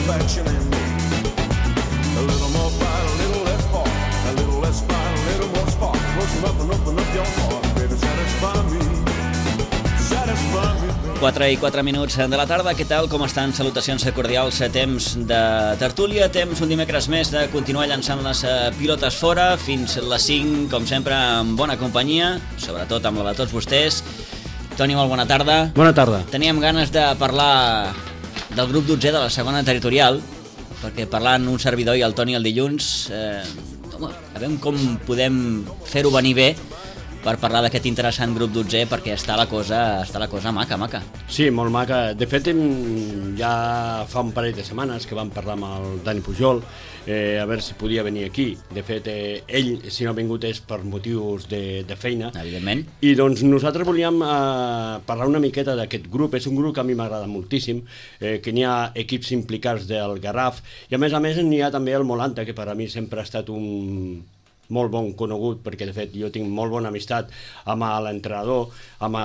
satisfaction in me. A little more fight, a little less fart. A little less fight, a little more spark. Close enough and open up your heart. Baby, satisfy me. Satisfy me. 4 i 4 minuts de la tarda, què tal, com estan? Salutacions cordials, temps de tertúlia, temps un dimecres més de continuar llançant les pilotes fora, fins les 5, com sempre, amb bona companyia, sobretot amb la de tots vostès. Toni, molt bona tarda. Bona tarda. Teníem ganes de parlar del grup 12 de la segona territorial, perquè parlant un servidor i el Toni el dilluns, a veure com podem fer-ho venir bé, per parlar d'aquest interessant grup 12, perquè està la cosa maca. Sí, molt maca. De fet, ja fa un parell de setmanes que vam parlar amb el Dani Pujol, a veure si podia venir aquí. De fet, ell, si no ha vingut, és per motius de feina. Evidentment. I doncs nosaltres volíem parlar una miqueta d'aquest grup. És un grup que a mi m'agrada moltíssim, que n'hi ha equips implicats del Garraf, i a més n'hi ha també el Molanta, que per a mi sempre ha estat un molt bon conegut, perquè de fet jo tinc molt bona amistat amb l'entrenador, amb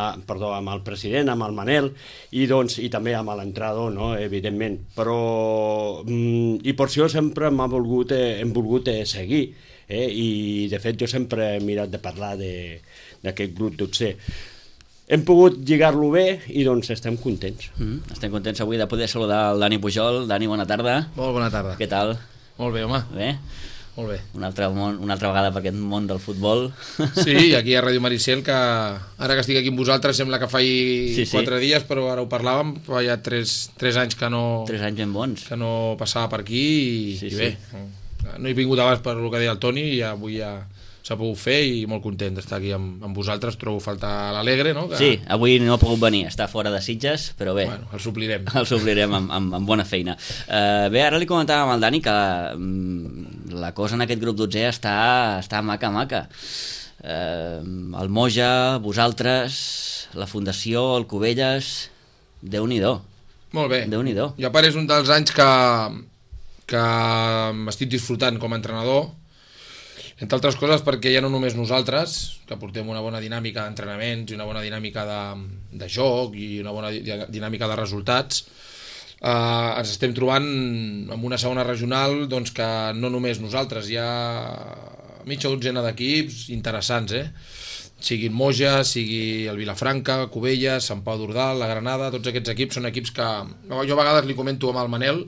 el president, amb el Manel, i també amb l'entrenador, no? Evidentment. Però i per això sempre hem volgut seguir, i de fet jo sempre he mirat de parlar d'aquest grup 12. Hem pogut lligar-lo bé i doncs estem contents. Estem contents avui de poder saludar el Dani Pujol. Dani, bona tarda. Molt bona tarda. Què tal? Molt bé, home. Bé? Molt bé. Una altra vegada per aquest món del futbol. Sí, aquí a Ràdio Maricel, que ara que estic aquí amb vosaltres sembla que faci 4 dies, però ara ho parlàvem, fa ja 3 anys que no... 3 anys ben bons. Que no passava per aquí i bé, no he vingut abans per el que deia el Toni i avui ja s'ha pogut fer i molt content d'estar aquí amb vosaltres. Trobo faltar l'Alegre, no? Sí, avui no ha pogut venir, està fora de Sitges, però bé. Bueno, el suplirem. El suplirem amb bona feina. Bé, ara li comentàvem al Dani que la cosa en aquest grup 12 està maca. El Moja, vosaltres, la Fundació, el Cubelles, Déu-n'hi-do. Molt bé. Déu-n'hi-do. Jo a part és un dels anys que m'estic disfrutant com a entrenador, entre altres coses perquè ja no només nosaltres, que portem una bona dinàmica d'entrenaments i una bona dinàmica de joc i una bona dinàmica de resultats, ens estem trobant amb una segona regional doncs, que no només nosaltres, hi ha mitja dotzena d'equips interessants, sigui el Moja, sigui el Vilafranca, Cubelles, Sant Pau d'Ordal, la Granada. Tots aquests equips són equips que jo a vegades li comento amb el Manel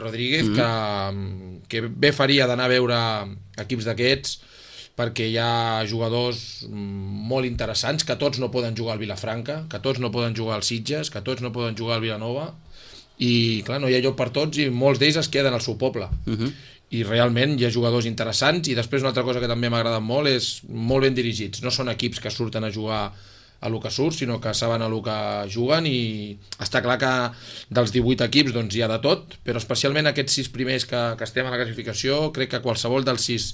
Rodríguez, que bé faria d'anar a veure equips d'aquests, perquè hi ha jugadors molt interessants, que tots no poden jugar al Vilafranca, que tots no poden jugar al Sitges, que tots no poden jugar al Vilanova, i clar, no hi ha lloc per tots i molts d'ells es queden al seu poble. I realment hi ha jugadors interessants. I després una altra cosa que també m'ha agradat molt és molt ben dirigits. No són equips que surten a jugar a lo que surt, sinó que saben a lo que juguen, i està clar que dels 18 equips doncs, hi ha de tot, però especialment aquests 6 primers que estem a la classificació, crec que qualsevol dels 6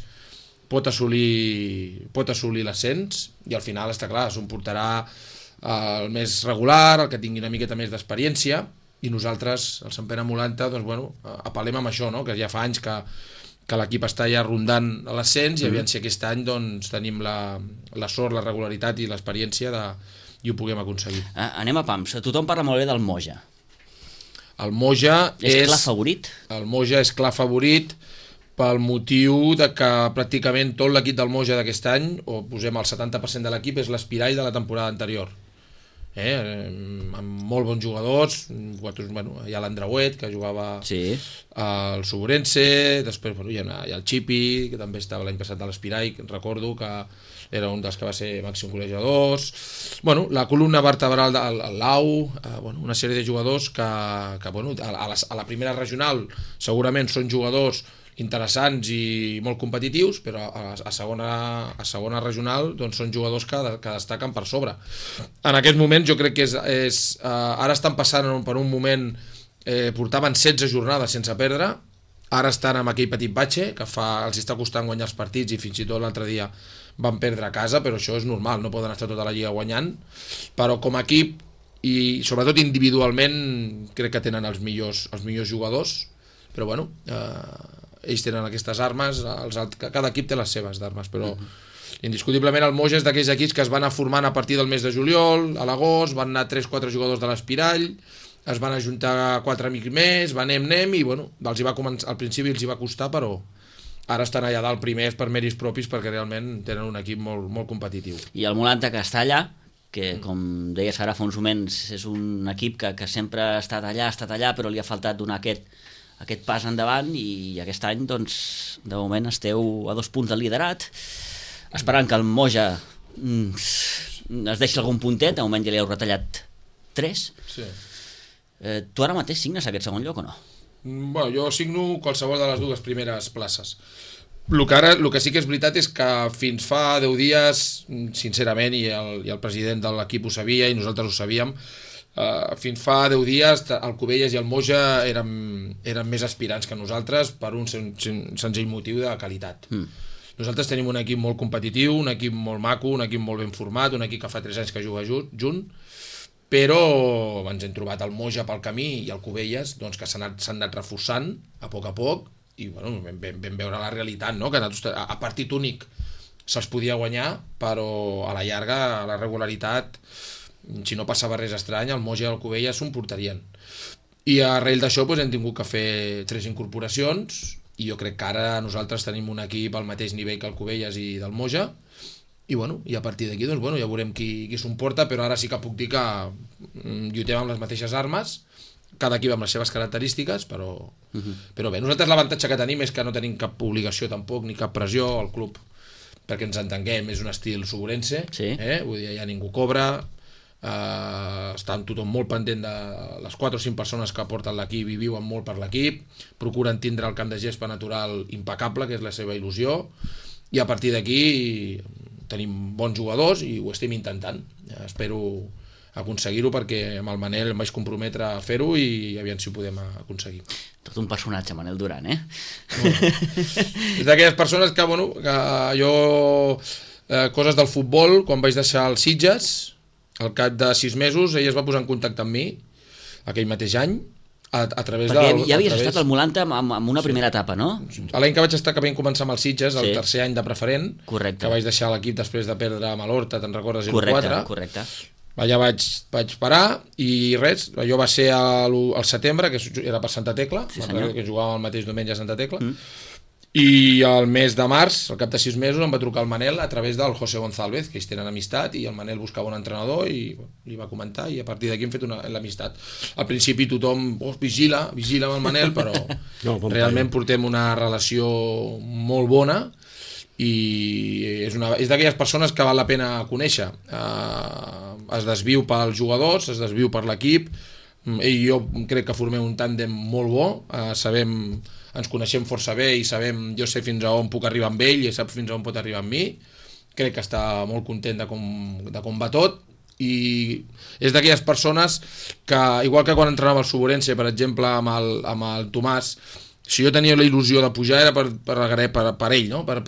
pot assolir l'ascens, i al final està clar, s'ho portarà el més regular, el que tingui una miqueta més d'experiència, i nosaltres, el Sant Pere Molanta, doncs, bueno, apel·lem amb això, no? Que ja fa anys que l'equip està ja rondant a l'ascens, i aviam si aquest any doncs, tenim la sort, la regularitat i l'experiència i ho puguem aconseguir. Anem a pams. Tothom parla molt bé del Moja. El Moja és clar favorit? El Moja és clar favorit pel motiu de que pràcticament tot l'equip del Moja d'aquest any, o posem el 70% de l'equip, és l'aspirall de la temporada anterior. Amb molt bons jugadors. Bueno, hi ha l'Andreuet, que jugava al Suburense, després hi ha el Chipi, que també estava l'any passat a l'Espirall, recordo que era un dels que va ser màxim golejadors. Bueno, la columna vertebral del Lau, una sèrie de jugadors que a la primera regional segurament són jugadors interessants i molt competitius, però a segona regional doncs són jugadors que destaquen per sobre. En aquest moment jo crec que ara estan passant per un moment, portaven 16 jornades sense perdre, ara estan amb aquell petit batxe que els està costant guanyar els partits, i fins i tot l'altre dia van perdre a casa, però això és normal, no poden estar tota la lliga guanyant, però com a equip i sobretot individualment crec que tenen els millors jugadors, però bueno, ells tenen aquestes armes, cada equip té les seves armes, però indiscutiblement el Moja és d'aquells equips que es van anar formant a partir del mes de juliol, a l'agost, van anar 3-4 jugadors de l'Espirall, es van ajuntar 4 amics més, anem, i bueno, al principi els hi va costar, però ara estan allà dalt primers per mèrits propis perquè realment tenen un equip molt, molt competitiu. I el Molanta, que està allà, que com deies ara fa uns moments, és un equip que sempre ha estat allà, però li ha faltat donar aquest pas endavant, i aquest any, doncs, de moment esteu a 2 punts del liderat, esperant que el Moja es deixi algun puntet. De moment ja li heu retallat 3. Sí. Tu ara mateix signes aquest segon lloc o no? Bueno, jo signo qualsevol de les 2 primeres places. El que sí que és veritat és que fins fa 10 dies, sincerament, i el president de l'equip ho sabia i nosaltres ho sabíem, fins fa 10 dies el Cubelles i el Moja eren més aspirants que nosaltres per un senzill motiu de qualitat. Nosaltres tenim un equip molt competitiu, un equip molt maco, un equip molt ben format, un equip que fa 3 anys que juga junt, però ens hem trobat el Moja pel camí i el Cubelles, doncs, que s'han anat reforçant a poc, i bueno, vam veure la realitat, no? Que a partit únic se'ls podia guanyar, però a la llarga, a la regularitat, si no passava res estrany, el Moja i el Cubelles s'ho emportarien. I arrel d'això doncs, hem tingut que fer 3 incorporacions, i jo crec que ara nosaltres tenim un equip al mateix nivell que el Cubelles i del Moja, i a partir d'aquí doncs, ja veurem qui s'ho emporta, però ara sí que puc dir que lluitem amb les mateixes armes, cada equip amb les seves característiques, però bé, nosaltres l'avantatge que tenim és que no tenim cap obligació tampoc, ni cap pressió al club, perquè ens entenguem, és un estil soburense, vull dir, ja ningú cobra, està tothom molt pendent de les 4 o 5 persones que porten l'equip i viuen molt per l'equip, procuren tindre el camp de gespa natural impecable, que és la seva il·lusió, i a partir d'aquí tenim bons jugadors i ho estem intentant. Espero aconseguir-ho perquè amb el Manel em vaig comprometre a fer-ho i aviam si ho podem aconseguir. Tot un personatge, Manel Duran, És d'aquelles persones que, que jo coses del futbol, quan vaig deixar els Sitges, al cap de 6 mesos ell es va posar en contacte amb mi aquell mateix any a través perquè ja havies estat al Molanta amb una primera etapa, no? L'any que vaig estar, que vam començar amb els Sitges, el tercer any de preferent, correcte, que vaig deixar l'equip després de perdre amb l'Horta, te'n recordes, 0-4. Correcte. Allà vaig parar i res, allò va ser al setembre, que era per Santa Tecla, que jugàvem el mateix diumenge a Santa Tecla, i al mes de març, al cap de 6 mesos, em va trucar el Manel a través del José González, que ells tenen amistat, i el Manel buscava un entrenador i li va comentar, i a partir d'aquí hem fet l'amistat. Al principi tothom vigila amb el Manel, però realment portem una relació molt bona i és d'aquelles persones que val la pena conèixer. Es desviu pels jugadors, es desviu per l'equip, ell i jo crec que formem un tàndem molt bo, ens coneixem força bé i jo sé fins a on puc arribar amb ell i ell sap fins a on pot arribar amb mi. Crec que està molt content de com va tot, i és d'aquelles persones que, igual que quan entrenava al Soburense, per exemple, amb el Tomàs, si jo tenia la il·lusió de pujar era per ell, no? Per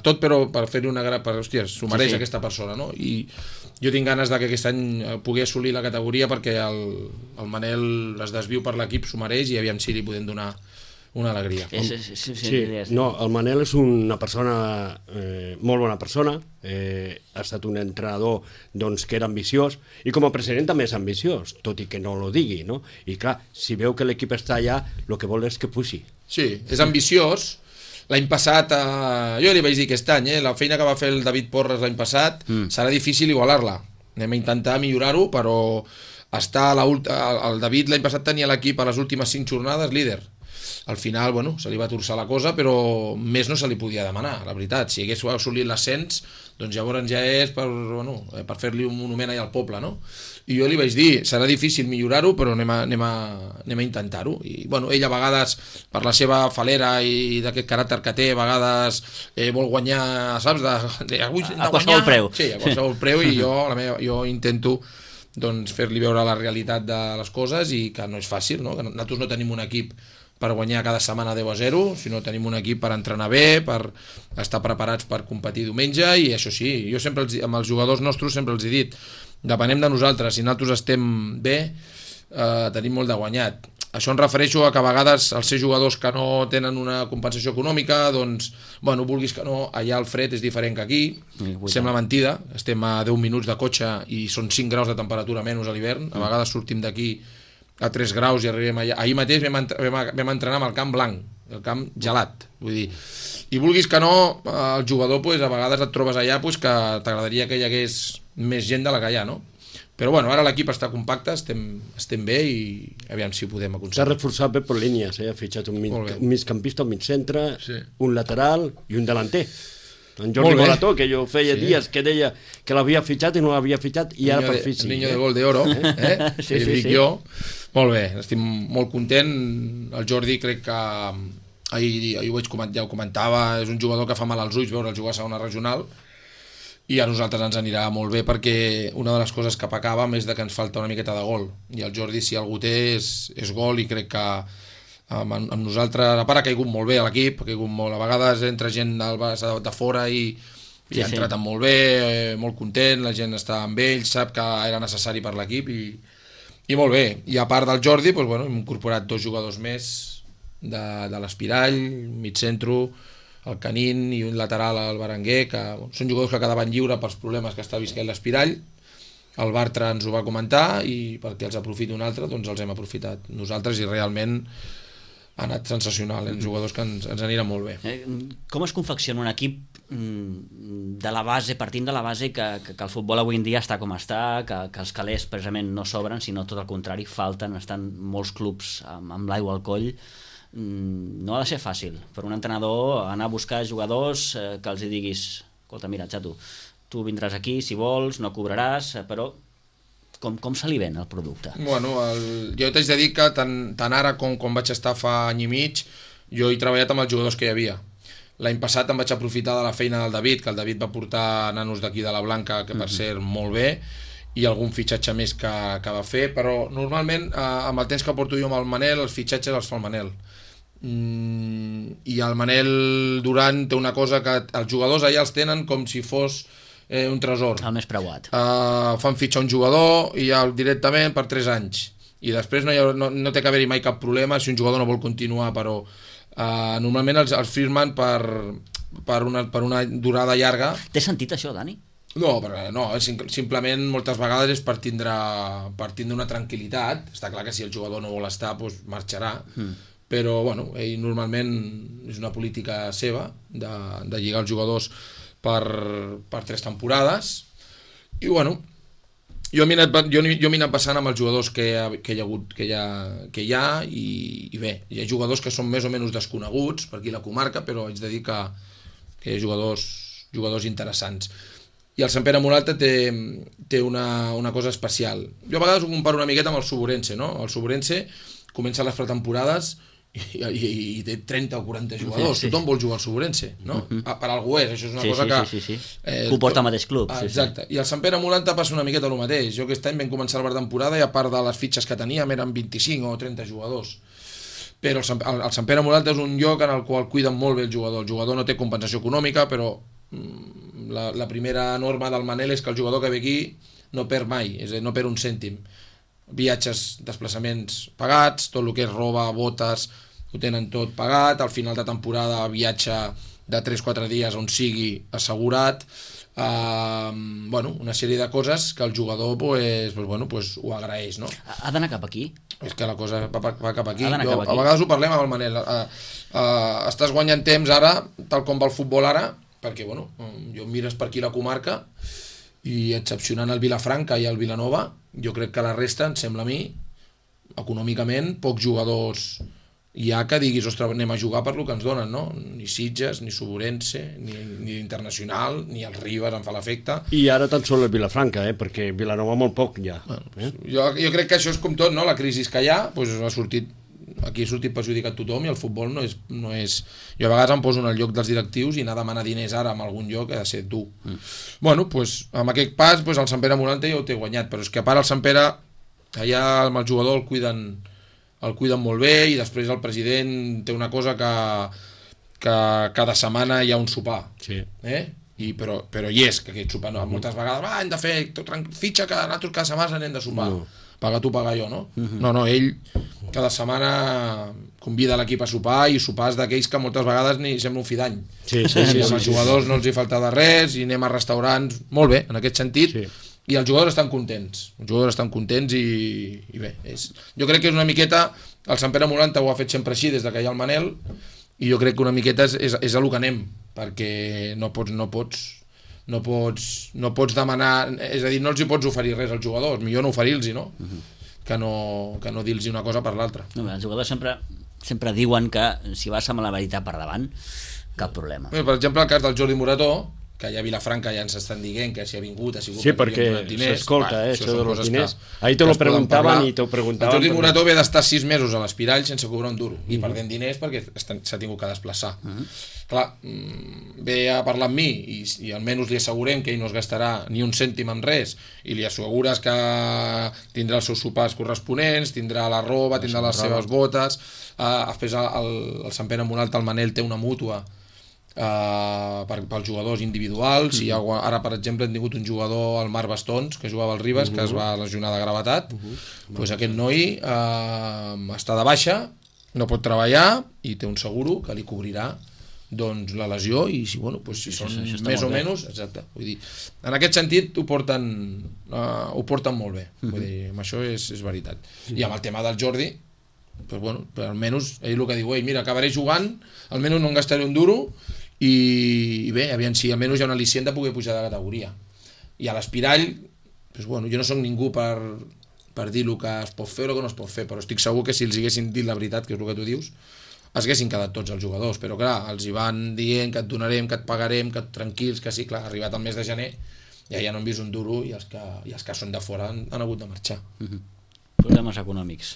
tot, però per fer-li una gran... Hòstia, s'ho mereix aquesta persona, no? I jo tinc ganes que aquest any pugui assolir la categoria perquè el Manel es desviu per l'equip, s'ho mereix, i aviam si li podem donar una alegria. No, el Manel és una persona, molt bona persona, ha estat un entrenador que era ambiciós, i com a president també és ambiciós, tot i que no lo digui, no? I clar, si veu que l'equip està allà, el que vol és que puixi. Sí, és ambiciós. L'any passat, jo li vaig dir aquest any, la feina que va fer el David Porres l'any passat, serà difícil igualar-la. Anem a intentar millorar-ho, però el David l'any passat tenia l'equip a les últimes 5 jornades líder. Al final, se li va torçar la cosa, però més no se li podia demanar, la veritat. Si hagués assolit l'ascens, doncs llavors ja és per fer-li un monument allà al poble, no? I jo li vaig dir, serà difícil millorar-ho, però anem a intentar-ho. I ell a vegades, per la seva falera i d'aquest caràcter que té, a vegades vol guanyar, saps? A qualsevol preu. Sí, a qualsevol preu, i jo intento fer-li veure la realitat de les coses i que no és fàcil, no? Que nosaltres no tenim un equip per guanyar cada setmana 10-0, sinó tenim un equip per entrenar bé, per estar preparats per competir diumenge, i això sí, jo sempre amb els jugadors nostres sempre els he dit, depenem de nosaltres, si nosaltres estem bé, tenim molt de guanyat. Això em refereixo a que a vegades els ser jugadors que no tenen una compensació econòmica, vulguis que no, allà el fred és diferent que aquí, sembla mentida, estem a 10 minuts de cotxe i són 5 graus de temperatura menys a l'hivern, a vegades sortim d'aquí a 3 graus i arribem allà. Ahir mateix vam entrenar amb el camp blanc, el camp gelat, vull dir, i vulguis que no, el jugador pues, a vegades et trobes allà pues, que t'agradaria que hi hagués més gent de la que hi ha, no? Però bueno, ara l'equip està compacte, estem bé i aviam si ho podem S'ha aconseguir. reforçat bé per línies, ha fitxat un migcampista, un migcentre, Sí. un lateral i un delanter. En Molt Jordi bé. Morató, que jo feia Sí. dies que deia que l'havia fitxat i no l'havia fitxat i ara per fi sí. El niño de gol de oro, Sí, sí, sí, dic sí. jo. Molt bé, estic molt content. El Jordi crec que ahir ho ja ho comentava, és un jugador que fa mal als ulls veure'l jugar a segona regional i a nosaltres ens anirà molt bé perquè una de les coses que pecàvem és que ens falta una miqueta de gol i el Jordi si algú té és gol i crec que amb nosaltres, a part ha caigut molt bé a l'equip, ha caigut molt, a vegades entra gent de fora i ha entrat molt bé, molt content, la gent està amb ell, sap que era necessari per l'equip i molt bé, i a part del Jordi doncs, bueno, hem incorporat 2 jugadors més de l'Espirall, mig centro, el Canin i un lateral al Berenguer, que bueno, són jugadors que quedaven lliure pels problemes que està visquent l'Espirall. El Bartra ens ho va comentar i perquè els aprofiti un altre, doncs els hem aprofitat nosaltres i realment ha anat sensacional, jugadors que ens aniran molt bé. Com es confecciona un equip de la base, partint de la base que el futbol avui en dia està com està, que els calés precisament no sobren, sinó tot el contrari, falten, estan molts clubs amb l'aigua al coll. No ha de ser fàcil per un entrenador anar a buscar jugadors que els hi diguis, escolta, mira, xato, tu vindràs aquí si vols, no cobraràs, però com se li ven el producte? Bueno, jo t'haig de dir que tant ara com quan vaig estar fa any i mig, jo he treballat amb els jugadors que hi havia. L'any passat em vaig aprofitar de la feina del David, que el David va portar nanos d'aquí de la Blanca, que per cert molt bé, i algun fitxatge més que va fer, però normalment amb el temps que porto jo amb el Manel, els fitxatges els fa el Manel. I el Manel Duran té una cosa que els jugadors allà els tenen com si fos un tresor. El més preuat. Fan fitxar un jugador i ja directament per 3 anys i després no té que haver-hi mai cap problema si un jugador no vol continuar, però normalment els firmen per una durada llarga. Té sentit això, Dani? No, simplement moltes vegades és per tindre una tranquil·litat. Està clar que si el jugador no vol estar doncs marxarà, però bueno, ell normalment és una política seva de lligar els jugadors per 3 temporades i bueno, jo m'he anat passant amb els jugadors que hi ha i bé, hi ha jugadors que són més o menys desconeguts per aquí la comarca, però haig de dir que hi ha jugadors interessants. I el Sant Pere Moralta té una cosa especial. Jo a vegades ho comparo una miqueta amb el Suburense, no? El Suburense comença les pretemporades i té 30 o 40 jugadors. Tothom vol jugar al Suburense, no? Per algú és, això és una cosa que... Sí. Que ho porta al mateix club. Exacte. I el Sant Pere Moralta passa una miqueta el mateix. Jo aquest any vam començar la pretemporada i a part de les fitxes que teníem eren 25 o 30 jugadors. Però el Sant Pere Moralta és un lloc en el qual cuiden molt bé el jugador. El jugador no té compensació econòmica, però la primera norma del Manel és que el jugador que ve aquí no perd mai, és a dir, no perd un cèntim. Viatges, desplaçaments pagats, tot el que és roba, botes, ho tenen tot pagat, al final de temporada viatge de 3-4 dies on sigui assegurat, una sèrie de coses que el jugador ho agraeix, no? Ha d'anar cap aquí? És que la cosa va cap aquí. A vegades ho parlem amb el Manel. Estàs guanyant temps ara, tal com va el futbol ara, perquè jo mires per aquí la comarca i excepcionant el Vilafranca i el Vilanova, jo crec que la resta, em sembla a mi, econòmicament, pocs jugadors hi ha que diguis, ostres, anem a jugar per lo que ens donen, no? Ni Sitges, ni Suburense, ni Internacional, ni els Ribes em fa l'efecte. I ara tan sols el Vilafranca, perquè Vilanova molt poc ja. Jo crec que això és com tot, no? La crisi que hi ha, aquí ha sortit perjudicat tothom i el futbol no és... Jo a vegades em poso en el lloc dels directius i anar a demanar diners ara en algun lloc ha de ser dur. Amb aquest pas el Sant Pere Moralta ja ho té guanyat, però és que a part el Sant Pere allà amb el jugador el cuiden molt bé i després el president té una cosa que cada setmana hi ha un sopar. Sí. Però hi és, que aquest sopar no, moltes vegades hem de fer fitxa que nosaltres cada setmana anem de sopar. Paga tu, paga jo, no? No, ell cada setmana convida l'equip a sopar i sopars d'aquells que moltes vegades ni sembla un fi d'any. Sí. Els jugadors no els hi falta de res i anem a restaurants, molt bé, en aquest sentit. i els jugadors estan contents. I bé, jo crec que és una miqueta, el Sant Pere Molanta ho ha fet sempre així des que hi ha el Manel, i jo crec que una miqueta és a lo que anem, perquè no pots demanar, és a dir, no els hi pots oferir res als jugadors, millor no oferir-los, no? Que no dir-los una cosa per l'altra. No, els jugadors sempre diuen que si vas amb la veritat per davant, cap problema. Per exemple, el cas del Jordi Morató, que allà a Vilafranca ja ens estan dient que si ha vingut, ha sigut perquè diners. S'escolta, això de los diners. Ahí te lo preguntaven i te ho preguntaven. El Jordi Morató ve d'estar 6 mesos a l'Espirall sense cobrar un duro i perdent diners perquè s'ha tingut que desplaçar. Clar, ve a parlar amb mi i almenys li assegurem que ell no es gastarà ni un cèntim en res i li assegures que tindrà els seus sopars corresponents, tindrà la roba, tindrà les seves botes. Després el Sant Pere Molanta, el Manel, té una mútua pels jugadors individuals. I ara, per exemple, hem tingut un jugador, el Marc Bastons, que jugava al Ribes, que es va lesionar de gravetat. Pues aquest noi està de baixa, no pot treballar i té un seguro que li cobrirà doncs la lesió, i si són més o menys, exacte, vull dir, en aquest sentit ho porten molt bé, vull dir, amb això és veritat. I amb el tema del Jordi, però almenys ell el que diu, mira, acabaré jugant, almenys no em gastaré un duro, i bé, aviam si almenys hi ha un al·licient de poder pujar de categoria. I a l'Espirall, jo no soc ningú per dir el que es pot fer o el que no es pot fer, però estic segur que si els haguessin dit la veritat, que és el que tu dius, es haguessin quedat tots els jugadors, però clar, els hi van dient que et donarem, que et pagarem, que tranquils, que sí, clar, arribat el mes de gener ja no han vist un duro i els que són de fora han hagut de marxar. Problemes econòmics,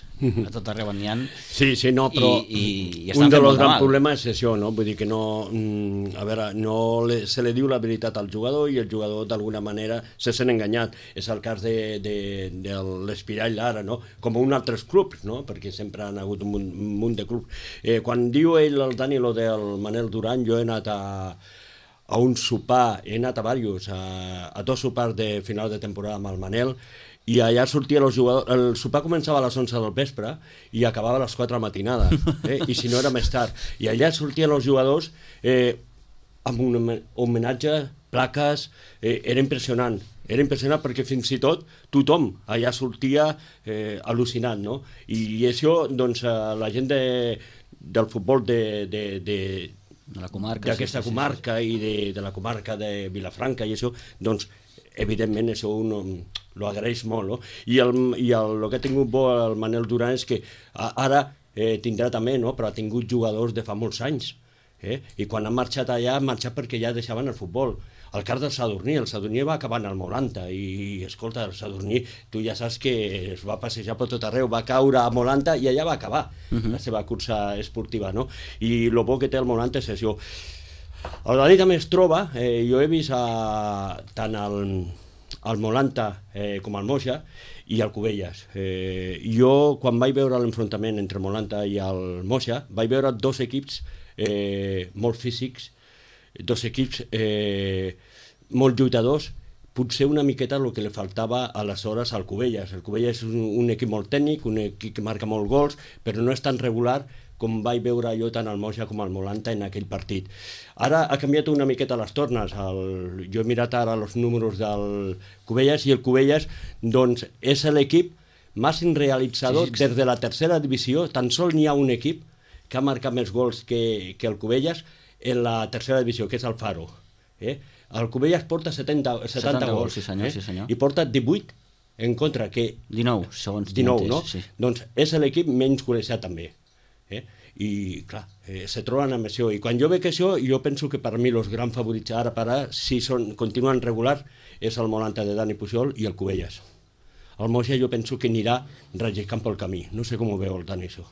a tot arreu n'hi ha. Sí, no, però un dels grans problemes és això, no? Vull dir que no, a veure, se li diu la veritat al jugador i el jugador d'alguna manera se sent enganyat. És el cas de l'Espirall ara, no? Com un altres clubs, no? Perquè sempre han hagut un munt de clubs. Quan diu ell, el Dani, lo del Manel Duran, jo he anat a un sopar, he anat a diversos, a 2 sopars de final de temporada amb el Manel, i allà sortien els jugadors, el sopar començava a les 11 del vespre i acabava a les 4 de la matinada, i si no era més tard, i allà sortien els jugadors amb un homenatge, plaques, era impressionant perquè fins i tot tothom allà sortia al·lucinant, no? I això, doncs, la gent del futbol de la comarca, d'aquesta comarca i de la comarca de Vilafranca i això, doncs evidentment això lo agraeix molt, no? I el que ha tingut bo el Manel Duran és que ara tindrà també, no? Però ha tingut jugadors de fa molts anys, i quan han marxat allà han marxat perquè ja deixaven el futbol. El cas del Sadurní va acabar en el Molanta i escolta, el Sadurní, tu ja saps que es va passejar per tot arreu, va caure a Molanta i allà va acabar la seva cursa esportiva, no? I el bo que té el Molanta és això. El Dani també es troba, jo he vist tant el Molanta com el Moixa i el Cubelles. Jo, quan vaig veure l'enfrontament entre Molanta i el Moixa, vaig veure 2 equips molt físics, 2 equips molt lluitadors, potser una miqueta el que li faltava aleshores al Cubelles. El Cubelles és un equip molt tècnic, un equip que marca molts gols, però no és tan regular com vaig veure jo tant el Moixa com el Molanta en aquell partit. Ara ha canviat una miqueta les tornes. Jo he mirat ara els números del Cubelles i el Cubelles doncs, és l'equip màxim realitzador des de la tercera divisió. Tan sols n'hi ha un equip que ha marcat més gols que el Cubelles en la tercera divisió, que és el Faro. El Cubelles porta 70 gols, sí senyor. I porta 18 en contra, que 19, segons 19, no? Sí. Doncs és l'equip menys golejat també. I clar, se troben amb això, i quan jo veig això jo penso que per mi els grans favorits ara per ara, si continuen regulars, és el Molanta de Dani Pujol i el Cubelles. El Moixa jo penso que anirà relliscant pel camí, no sé com ho veu el Dani això.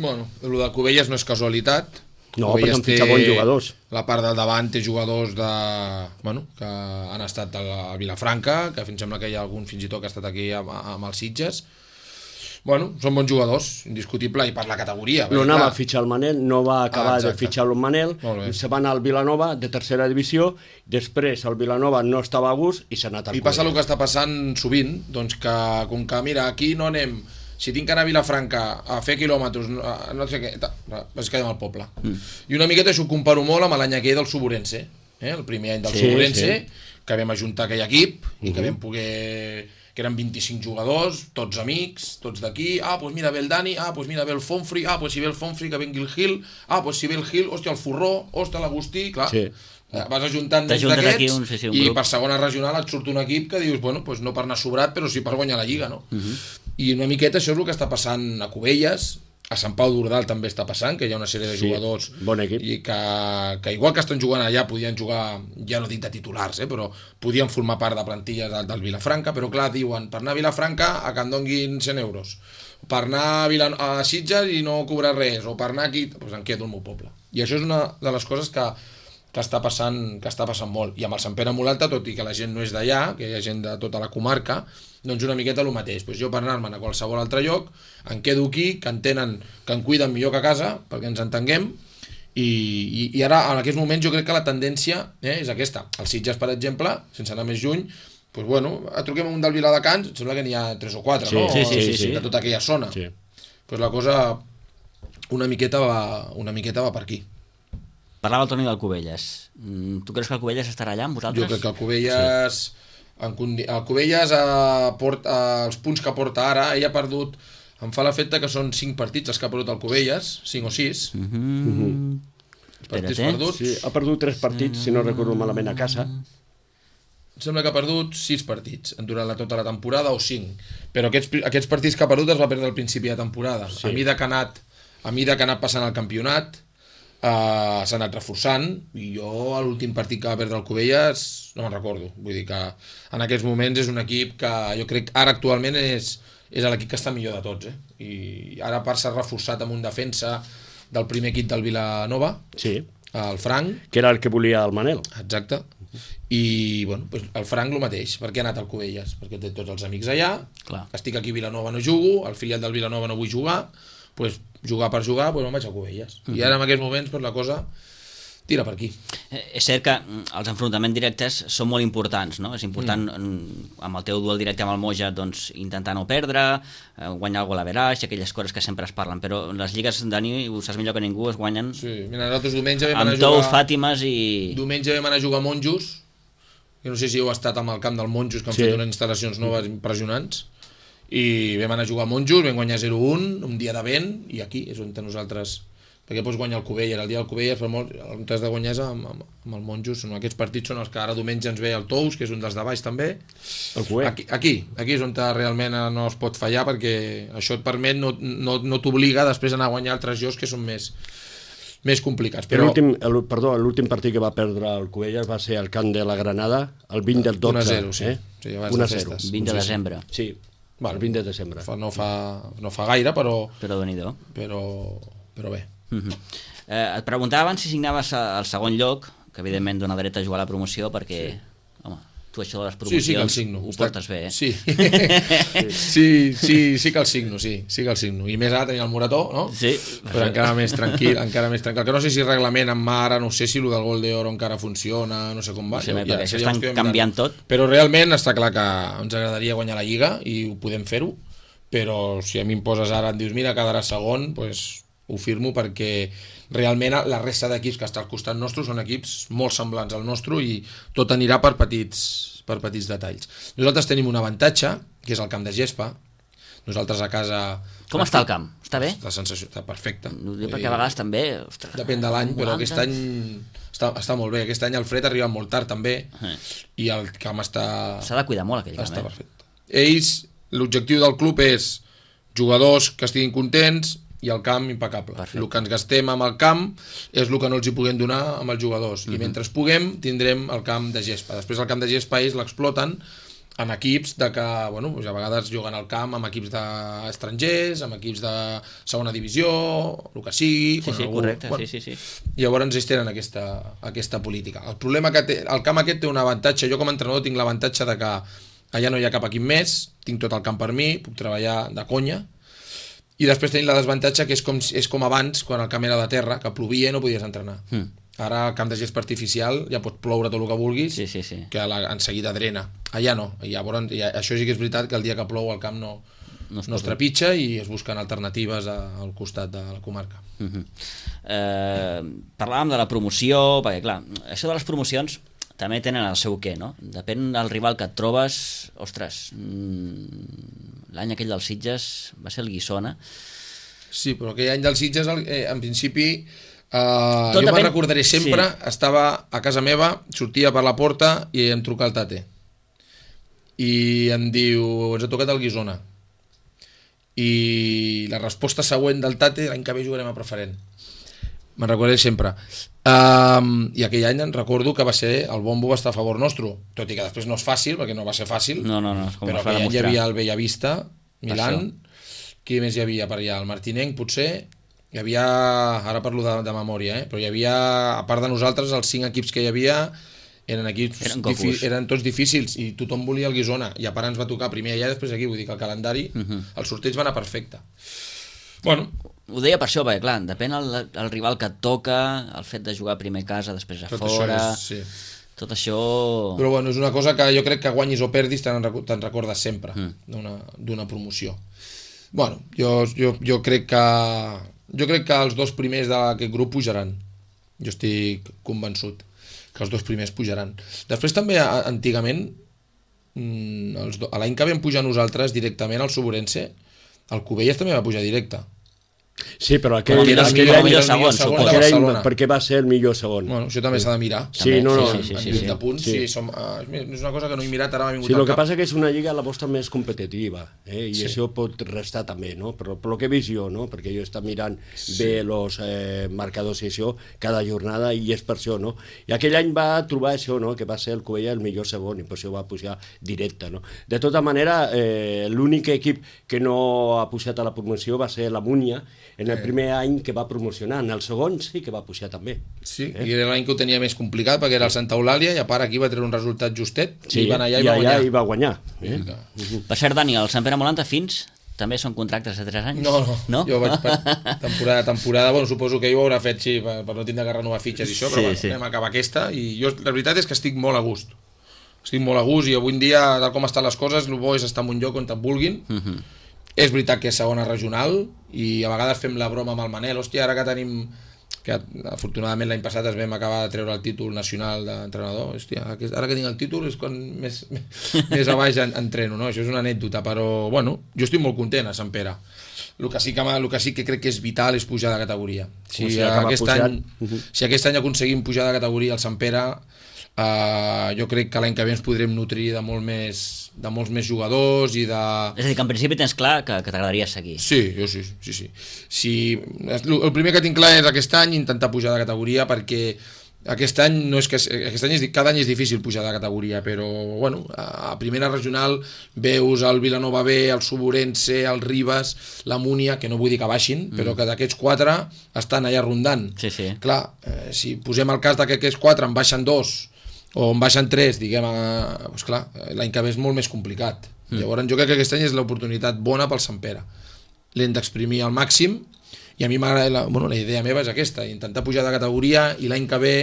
Bueno, el del Cubelles no és casualitat. No, perquè han fitxat bons jugadors. La part del davant té jugadors que han estat a Vilafranca, que em sembla que hi ha algun fins i tot que ha estat aquí amb els Sitges. Bueno, són bons jugadors, indiscutible, i per la categoria. No anava a fitxar el Manel, no va acabar de fitxar el Manel, se va anar al Vilanova de tercera divisió, després el Vilanova no estava a gust i s'ha anat al Cubelles. I passa el que està passant sovint, doncs que com que mira, aquí no anem, si tinc que anar a Vilafranca a fer quilòmetres, no sé què, es quedem al poble. I una miqueta això ho comparo molt amb l'any aquell del Suburense, el primer any del Suburense, que vam ajuntar aquell equip i que vam poder... que eren 25 jugadors, tots amics, tots d'aquí, doncs mira, ve el Dani, doncs mira, ve el Fonfri, doncs si ve el Fonfri que vengui el Gil, doncs si ve el Gil, hòstia, el Forró, hòstia, l'Agustí, clar, vas ajuntant nens d'aquests i per segona regional et surt un equip que dius, bueno, doncs no per anar sobrat, però sí per guanyar la Lliga, no? I una miqueta això és el que està passant a Cubelles, a Sant Pau d'Ordal també està passant, que hi ha una sèrie de jugadors bon equip. I que igual que estan jugant allà podien jugar, ja no dic de titulars, però podien formar part de plantilles del Vilafranca, però clar, diuen, per anar a Vilafranca que em donguin 100 euros, per anar a Sitges i no cobrar res, o per anar aquí, doncs em quedo al meu poble. I això és una de les coses que està passant molt. I amb el Sant Pere molt Alta, tot i que la gent no és d'allà, que hi ha gent de tota la comarca, doncs una miqueta el mateix. Pues jo per anar-me'n a qualsevol altre lloc, em quedo aquí, que entenen que em cuiden millor que a casa, perquè ens entenguem, i ara, en aquests moments, jo crec que la tendència és aquesta. Els Sitges, per exemple, sense anar més lluny, pues bueno, truquem a un del Viladecans, em sembla que n'hi ha 3 o 4, no? Sí. De tota aquella zona. Sí. Pues la cosa una miqueta va per aquí. Parlava el Toni del Cubelles. Tu creus que el Cubelles estarà allà amb vosaltres? Jo crec que el Cubelles... Sí. El Cubelles els punts que porta ara, ell ha perdut, em fa l'efecte que són 5 partits els que ha perdut el Cubelles, 5 o 6 partits perduts. Sí, ha perdut 3 partits, si no recordo malament, a casa. Em sembla que ha perdut 6 partits durant tota la temporada, o 5, però aquests partits que ha perdut els va perdre al principi de temporada. A mesura que ha anat passant el campionat, s'ha anat reforçant, i jo a l'últim partit que va perdre el Cubelles no me'n recordo, vull dir que en aquests moments és un equip que jo crec ara actualment és l'equip que està millor de tots, i ara a part s'ha reforçat amb un defensa del primer equip del Vilanova, el Frank, que era el que volia el Manel. Exacte. I bueno, pues el Frank el mateix. Per què ha anat al Cubelles? Perquè té tots els amics allà. Clar. Estic aquí a Vilanova, no jugo, al filial del Vilanova no vull jugar, pues jugar per jugar, pues me'n vaig a Cubelles. I ara en aquests moments pues, la cosa tira per aquí. És cert que els enfrontaments directes són molt importants, no? És important amb el teu duel directe amb el Moja doncs, intentar no perdre, guanyar el gol a veraix, aquelles coses que sempre es parlen, però les lligues, Dani, ho saps millor que ningú, es guanyen mira, nosaltres diumenge vam anar amb tous, Fàtimes i... Diumenge vam anar a jugar a Monjos, que no sé si heu estat amb el camp del Monjos, que han fet unes instal·lacions noves impressionants, i vam anar a jugar a Monjos, vam guanyar 0-1 un dia de vent, i aquí és on nosaltres, perquè pots guanyar el Cubelles, el dia del Cubelles per molt, on has de guanyar és amb el Monjos. Aquests partits són els que ara diumenge ens ve el Tous, que és un dels de baix també, aquí és on realment no es pot fallar, perquè això et permet, no t'obliga després anar a guanyar altres jocs que són més complicats. Però l'últim partit que va perdre el Cubelles va ser al camp de la Granada, el 20 del 12. 1-0, sí, abans de festes. 20 de desembre. Sí, el 20 de desembre. No fa gaire, però Déu-n'hi-do. Però bé. Et preguntava abans si signaves al segon lloc, que evidentment dona dret a jugar a la promoció, perquè, home, tu això de les promocions ho portes bé, Sí que el signo, sí que el signo. I més ara tenia el Morató, no? Sí. Però encara més tranquil. Que no sé si reglament amb ara, no sé si el del gol d'or encara funciona, no sé com va. No sé, perquè això estan canviant tot. Però realment està clar que ens agradaria guanyar la Lliga i ho podem fer-ho, però si a mi em poses ara, em dius, mira, quedarà segon, doncs ho firmo, perquè realment la resta d'equips que està al costat nostre són equips molt semblants al nostre i tot anirà per petits detalls. Nosaltres tenim un avantatge, que és el camp de gespa. Nosaltres a casa... Com està el camp? Està bé? La sensació està perfecta. Perquè a vegades també... Ostres, depèn de l'any, però aquest any està molt bé. Aquest any el fred arriba molt tard també, i el camp està... S'ha de cuidar molt aquell camp. Està perfecte. Ells, l'objectiu del club és jugadors que estiguin contents i el camp impecable. Perfecte. El que ens gastem amb el camp és el que no els hi puguem donar amb els jugadors. I mentre puguem, tindrem el camp de gespa. Després el camp de gespa ells l'exploten en equips de que, bueno, a vegades juguen al camp amb equips d'estrangers, amb equips de segona divisió, el que sigui. Sí, correcte, sí. Llavors ells tenen aquesta política. El problema que té, el camp aquest té un avantatge. Jo com a entrenador tinc l'avantatge de que allà no hi ha cap equip més, tinc tot el camp per mi, puc treballar de conya. I després tenim la desavantatge que és com abans, quan el camp era de terra, que plovia i no podies entrenar. Ara el camp de gespa artificial ja pot ploure tot el que vulguis, que en seguida drena. Allà no. Llavors, això sí que és veritat que el dia que plou el camp no es trepitja i es busquen alternatives al costat de la comarca. Parlàvem de la promoció, perquè clar, això de les promocions també tenen el seu què, no? Depèn del rival que et trobes, ostres, l'any aquell dels Sitges va ser el Guissona. Sí, però aquell any dels Sitges, en principi, Tot jo depèn- me'n recordaré sempre, sí. estava a casa meva, sortia per la porta i em truca el tate. I em diu, ens ha tocat el Guissona. I la resposta següent del tate, l'any que ve jugarem a preferent. Me'n recordaré sempre. I aquell any recordo que va ser, el bombo va estar a favor nostre, tot i que després no és fàcil, perquè no va ser fàcil, No, com però es va aquell any hi demostrar. havia el Bellavista, Milan, qui més hi havia per allà? El Martinenc, potser, hi havia, ara parlo de memòria, però hi havia, a part de nosaltres, els 5 equips que hi havia eren equips eren tots difícils i tothom volia el Guissona, i a part ens va tocar primer allà i després aquí, vull dir que el calendari, el sorteig va anar perfecte. Bueno, Ho deia per això, perquè clar, depèn el rival que et toca, el fet de jugar primer a casa, després a tot fora, això és, sí. tot això... Però bueno, és una cosa que jo crec que guanyis o perdis te'n recordes sempre d'una promoció. Bueno, jo crec que els dos primers d'aquest grup pujaran. Jo estic convençut que els dos primers pujaran. Després també, antigament, l'any que vam pujar nosaltres directament al Suburense, el Cubelles també va pujar directe. Sí, però aquell Aquell any, millor segon, suposo. aquell any, Barcelona. perquè va ser el millor segon. Bueno, això també s'ha de mirar. Sí, no, no. Sí. De punts, sí. És una cosa que no he mirat, ara m'ha vingut Sí, al el que cap. passa que és una lliga la vostra més competitiva, i això pot restar també, no? Però el que he vist jo, no? Perquè jo he estat mirant bé els marcadors i això cada jornada, i és per això, no? I aquell any va trobar això, no? Que va ser el Cubella el millor segon, i per això va pujar directe, no? De tota manera, l'únic equip que no ha pujat a la promoció va ser la Múnia, en el primer any que va promocionar. En el segon sí que va pujar també. Sí, i era l'any que ho tenia més complicat perquè era el Santa Eulàlia i a part aquí va treure un resultat justet i va anar allà i va guanyar. I va guanyar. Per cert, Dani, el Sant Pere Molanta fins també són contractes de 3 anys? No? Jo vaig temporada, bueno, suposo que ell ho haurà fet sí, per no tindre que renovar fitxes i això, però bueno, vam acabar aquesta i jo la veritat és que estic molt a gust. Estic molt a gust i avui en dia, tal com estan les coses, el bo és estar en un lloc on et vulguin. És veritat que és segona regional i a vegades fem la broma amb el Manel, hòstia, ara que tenim, que afortunadament l'any passat es vam acabar de treure el títol nacional d'entrenador, hòstia, ara que tinc el títol és quan més a baix entreno, no? Això és una anècdota, però bueno, jo estic molt content a Sant Pere. El que sí que crec que és vital és pujar de categoria. Si aquest any aconseguim pujar de categoria al Sant Pere, jo crec que l'any que ve ens podrem nutrir de molts més jugadors i de... És a dir, que en principi tens clar que t'agradaria seguir. Sí, jo sí. El primer que tinc clar és aquest any intentar pujar de categoria, perquè aquest any cada any és difícil pujar de categoria, però bueno, a primera regional veus el Vilanova B, el Suburense, el Ribes, la Múnia, que no vull dir que baixin, però que d'aquests 4 estan allà rondant. Sí. Clar, si posem el cas que aquests 4 en baixen 2 o en baixen 3, diguem, doncs clar, l'any que ve és molt més complicat. Llavors jo crec que aquest any és l'oportunitat bona pel Sant Pere. L'hem d'exprimir al màxim i a mi m'agrada, la idea meva és aquesta, intentar pujar de categoria i l'any que ve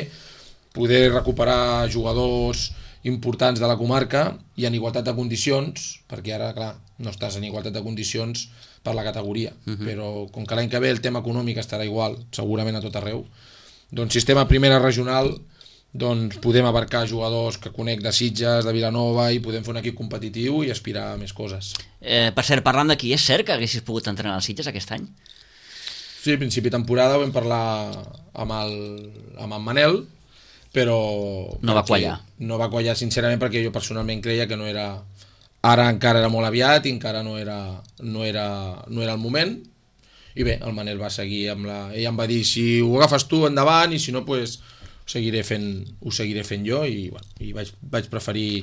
poder recuperar jugadors importants de la comarca i en igualtat de condicions, perquè ara, clar, no estàs en igualtat de condicions per la categoria, però com que l'any que ve el tema econòmic estarà igual, segurament a tot arreu, doncs si estem a primera regional doncs podem abarcar jugadors que conec de Sitges, de Vilanova, i podem fer un equip competitiu i aspirar a més coses. Per cert, parlant d'aquí, és cert que haguessis pogut entrenar als Sitges aquest any? Sí, a principi de temporada ho vam parlar amb en Manel, però... No va quallar. No va quallar, sincerament, perquè jo personalment creia que no era... Ara encara era molt aviat i encara no era el moment. I bé, el Manel va seguir amb la... Ell em va dir, si ho agafes tu, endavant, i si no, pues, ho seguiré fent jo, i vaig preferir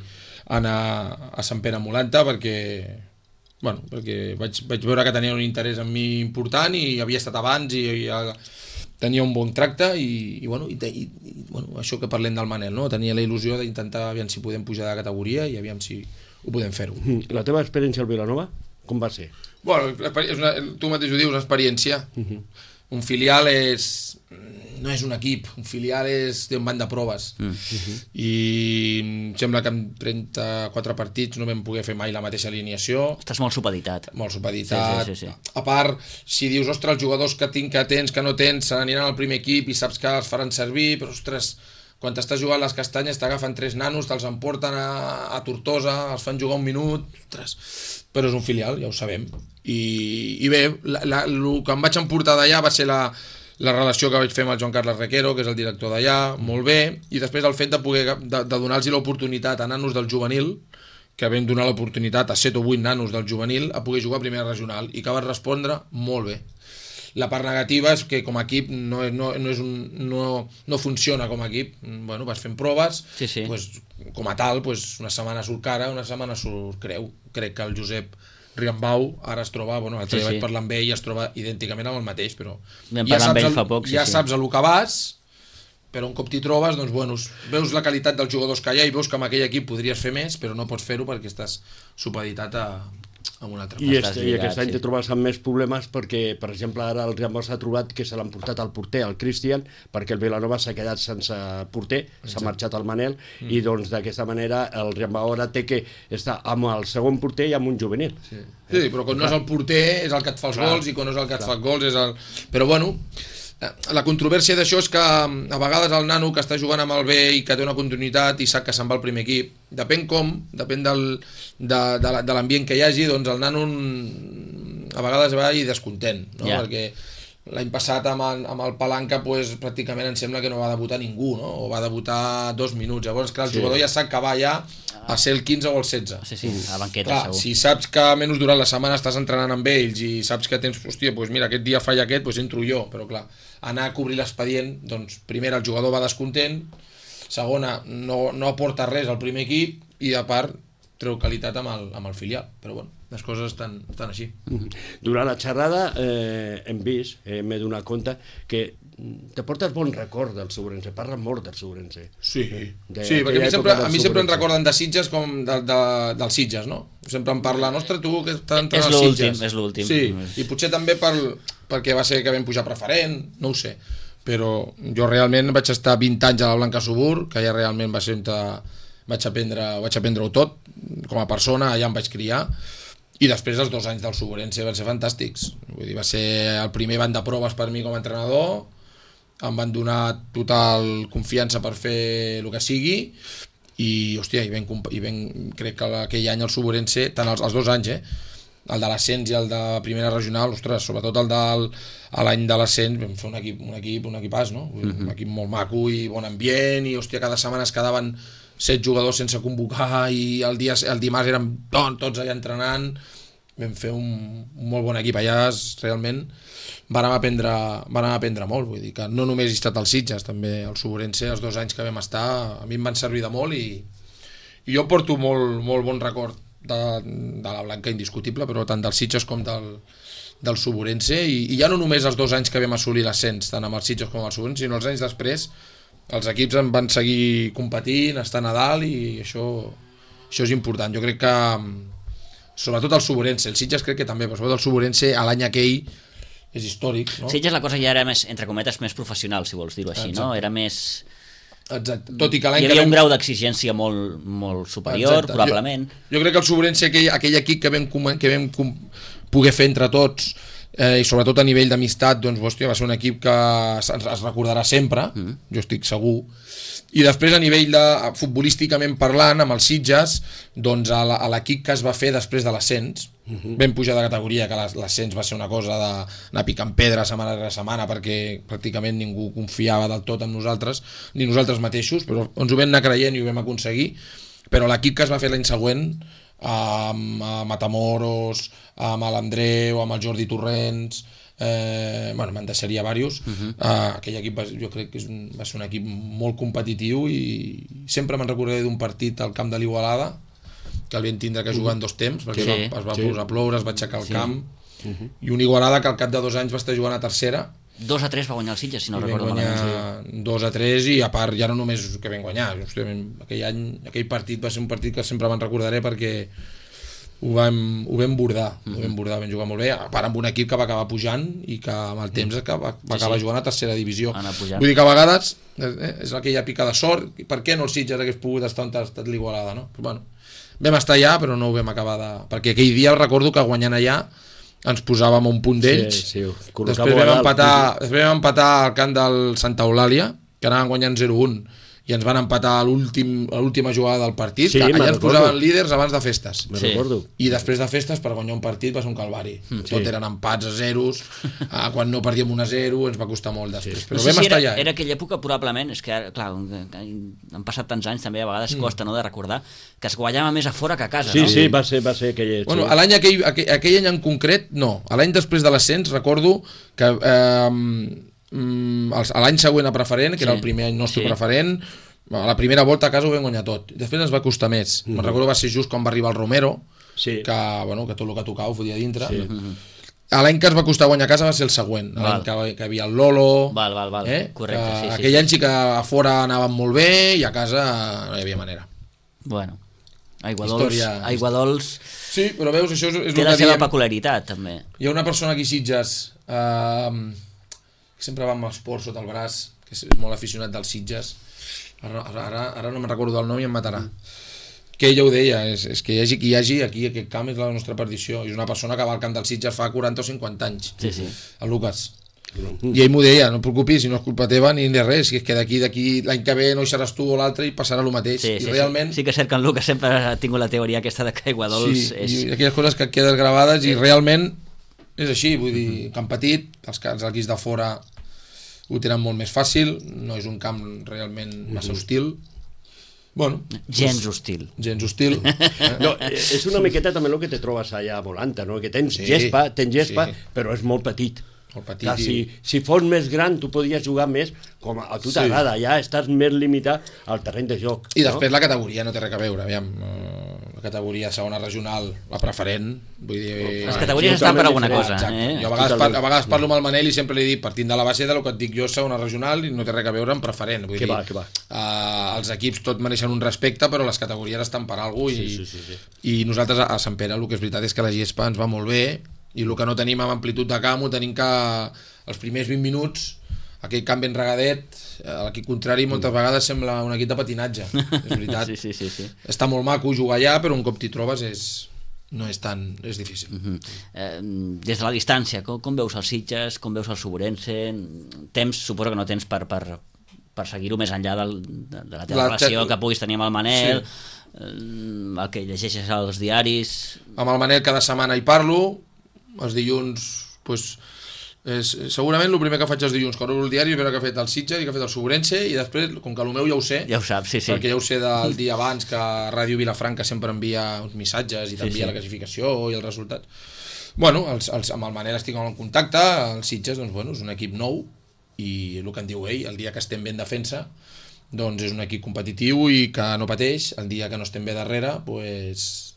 anar a Sant Pere Molanta perquè vaig veure que tenia un interès en mi important i havia estat abans i tenia un bon tracte i això que parlem del Manel, no? Tenia la il·lusió d'intentar aviam si podem pujar de categoria i aviam si ho podem fer-ho. La teva experiència al Vilanova, com va ser? Bueno, tu mateix ho dius, una experiència. Un filial no és un equip, un filial té un banc de proves i em sembla que en 34 partits no vam poder fer mai la mateixa alineació. Estàs molt supeditat. Sí. A part, si dius, ostres, els jugadors que tens, que no tens, se n'aniran al primer equip i saps que els faran servir, però ostres, quan t'estàs jugant les castanyes t'agafen 3 nanos, te'ls emporten a Tortosa, els fan jugar un minut, ostres, però és un filial, ja ho sabem. I bé, el que em vaig emportar d'allà va ser la relació que vaig fer amb el Joan Carles Requero, que és el director d'allà, molt bé, i després el fet de donar-los l'oportunitat a nanos del juvenil, que vam donar l'oportunitat a 7 o 8 nanos del juvenil a poder jugar a primera regional, i que van respondre molt bé. La part negativa és que com a equip no funciona com a equip. Bueno, vas fent proves, sí. Pues, com a tal, pues, una setmana surt cara, una setmana surt creu. Crec que el Josep Riambau ara es troba, bueno, l'altre dia vaig parlar amb ell i es troba idènticament amb el mateix, però ja saps a lo que vas, però un cop t'hi trobes, doncs, bueno, veus la qualitat dels jugadors que hi ha i veus que amb aquell equip podries fer més, però no pots fer-ho perquè estàs supeditat a un altre. I aquest any te trobes amb més problemes perquè, per exemple, ara el Riambau s'ha trobat que se l'han portat al porter, al Cristian, perquè el Vilanova s'ha quedat sense porter, s'ha marxat al Manel, i doncs d'aquesta manera el Riambau ara té que estar amb el segon porter i amb un juvenil. Sí, però quan no és el porter és el que et fa els gols, i quan no és el que et fa els gols és el... Però bueno, la controvèrsia d'això és que a vegades el nano que està jugant amb el B i que té una continuïtat i sap que se'n va al primer equip, depèn de l'ambient que hi hagi, doncs el nano a vegades va i descontent, no? Perquè l'any passat amb el Palanca pues, pràcticament em sembla que no va debutar ningú, no? O va debutar 2 minuts, llavors clar, el jugador ja sap que va ja a ser el 15 o el 16. Sí, a banqueta, clar, segur. si saps que menys durant la setmana estàs entrenant amb ells i saps que tens, hòstia, pues mira, aquest dia falla aquest, pues entro jo, però clar, anar a cobrir l'expedient, doncs primera el jugador va descontent, segona no aporta res al primer equip i a part treu qualitat amb el filial, però bueno, les coses estan així. Durant la xerrada hem vist, m'he donat compte que te portes bon record del Segurense, parlen molt del Segurense. Sí, perquè a mi sempre em recorden de Sitges com dels Sitges, no? Sempre em parlen, ostres, tu que estàs entrant als Sitges. És l'últim. Sí, i potser també perquè va ser que vam pujar preferent, no ho sé, però jo realment vaig estar 20 anys a la Blanca Subur, que ja realment va ser on vaig aprendre-ho tot, com a persona, allà em vaig criar, i després els 2 anys del Segurense van ser fantàstics. Vull dir, va ser el primer banc de proves per mi com a entrenador, em van donar total confiança per fer el que sigui, i hòstia, crec que aquell any el Segurense, tant els 2 anys, el de l'ascens i el de primera regional, ostres, sobretot l'any de l'ascens vam fer un equipàs, no? Un equip molt maco i bon ambient, i hòstia, cada setmana es quedaven 7 jugadors sense convocar i el dimarts érem tots allà entrenant. Vam fer un molt bon equip allà, realment vàrem aprendre molt, vull dir que no només he estat als Sitges, també al Segurense, els 2 anys que vam estar a mi em van servir de molt, i jo porto molt bon record de la Blanca, indiscutible, però tant dels Sitges com del Segurense, i ja no només els 2 anys que vam assolir l'ascens, tant amb els Sitges com amb el Segurense, sinó els anys després els equips en van seguir competint, estant a dalt, i això és important. Jo crec que sobretot el Segurense, el Sitges crec que també, però sobretot el Segurense a l'any aquell és històric, no? Sitges la cosa ja era més, entre cometes, més professional, si vols dir-ho així. Exacte. No? Era més... Exacte. Tot i que l'any hi havia un grau d'exigència molt superior. Exacte. Probablement. Jo crec que el Segurense, aquell equip que vam poder fer entre tots, i sobretot a nivell d'amistat, doncs, hòstia, va ser un equip que es recordarà sempre, jo estic segur. I després a nivell futbolísticament parlant, amb els Sitges, doncs a l'equip que es va fer després de l'ascens, vam pujar de categoria, que l'ascens va ser una cosa d'anar picant pedra setmana rere setmana, perquè pràcticament ningú confiava del tot en nosaltres, ni nosaltres mateixos, però ens ho vam anar creient i ho vam aconseguir. Però l'equip que es va fer l'any següent, amb Matamoros, amb l'Andreu, amb el Jordi Torrents, bueno, me'n deixaria diversos. Aquell equip jo crec que va ser un equip molt competitiu, i sempre me'n recordaré d'un partit al camp de l'Igualada, que el vam tindre que jugar en 2 temps, perquè es va posar a ploure, es va aixecar el camp, i un Igualada que al cap de 2 anys va estar jugant a tercera. 2-3 va guanyar el Sitges, si no recordo malament. 2-3, i a part ja no només que vam guanyar, aquell partit va ser un partit que sempre me'n recordaré, perquè ho vam bordar, vam jugar molt bé, a part amb un equip que va acabar pujant i que amb el temps va acabar jugant a tercera divisió. Vull dir que a vegades és aquella pica de sort, per què no el Sitges hagués pogut estar on ha estat l'Igualada, no? Però, bueno, vam estar allà, però no ho vam acabar perquè aquell dia recordo que guanyant allà ens posàvem a un punt d'ells. Després vam empatar al camp del Santa Eulàlia, que anaven guanyant 0-1, i ens van empatar a l'última jugada del partit, Sí, que allà ens recordo. posaven líders abans de festes. Me Sí. recordo. I després de festes, per guanyar un partit va ser un calvari. Tot eren empats a zeros, quan no perdíem 1-0 ens va costar molt després. Però No sé vam si estar era, allà. era aquella època probablement, és que ara, clar, han passat tants anys també, a vegades costa no, de recordar que es guanyava més a fora que a casa, Sí, no? sí, va ser aquell... Bueno, sí. a l'any aquell any en concret, no. A l'any després de l'ascens, recordo que a l'any següent a preferent, que era el primer any nostre preferent, a la primera volta a casa ho vam guanyar tot. Després ens va costar més. Me'n recordo va ser just quan va arribar el Romero, Sí. que tot el que tocava ho fotia dintre. A l'any que ens va costar guanyar a casa va ser el següent, l'any que hi havia el Lolo. Val, correcte, sí, sí. Aquell any sí que a fora anàvem molt bé i a casa no hi havia manera. Bueno, Aigua Dols Sí, però veus, això és té el la que seva diem. peculiaritat, també. Hi ha una persona aquí a Sitges que sempre va amb esport sota el braç, que és molt aficionat dels Sitges. Ara no me'n recordo del nom i em matarà. Que ella ho deia, és que hi hagi qui hi hagi aquí, aquest camp és la nostra perdició. És una persona que va al camp del Sitges fa 40 o 50 anys, el Lucas. I ell m'ho deia, no et preocupis, si no és culpa teva ni de res, és que d'aquí l'any que ve no hi seràs tu o l'altre i passarà el mateix. Sí, I realment... sí que és cert que en Lucas sempre ha tingut la teoria aquesta de que Aigua Dols és... i aquelles coses que et quedes gravades i realment és així, vull dir, camp petit, els equips de fora ho tenen molt més fàcil, no és un camp realment massa hostil. Bueno, gens hostil. Gens hostil. No, és una miqueta també el que te trobes allà a Volanta, no? Que tens gespa, però és molt petit. Molt petit. Clar, si fos més gran tu podies jugar més, com a tu t'agrada, ja estàs més limitat al terreny de joc. I després la categoria no té res a veure, aviam, la categoria segona regional, la preferent, vull dir... Les categories estan per alguna cosa. Jo a vegades parlo amb el Manel i sempre li dic, partint de la base del que et dic jo, segona regional, i no té res a veure amb preferent. Vull dir, els equips tot mereixen un respecte, però les categories estan per alguna cosa, i nosaltres a Sant Pere el que és veritat és que la gespa ens va molt bé, i el que no tenim amb amplitud de camp ho tenim que els primers 20 minuts aquell camp ben regadet, l'equip contrari moltes vegades sembla un equip de patinatge, és veritat. Sí. Està molt maco jugar allà, però un cop t'hi trobes és difícil. Des de la distància, com veus els Sitges, com veus el Suburense? Suposo que no tens per seguir-ho més enllà de la teva relació que puguis tenir amb el Manel, el que llegeixes als diaris... Amb el Manel cada setmana hi parlo, els dilluns segurament el primer que faig els dilluns quan obro el diari és veure que ha fet el Sitges i que ha fet el Suburense, i després, com que el meu ja ho sé, ja ho saps, sí. perquè ja ho sé del dia abans, que Ràdio Vilafranca sempre envia uns missatges i t'envia la classificació i els resultats. Bueno, amb el Manel estic en contacte, el Sitges doncs, bueno, és un equip nou i el que en diu ell, el dia que estem bé en defensa doncs és un equip competitiu i que no pateix, el dia que no estem bé darrere pues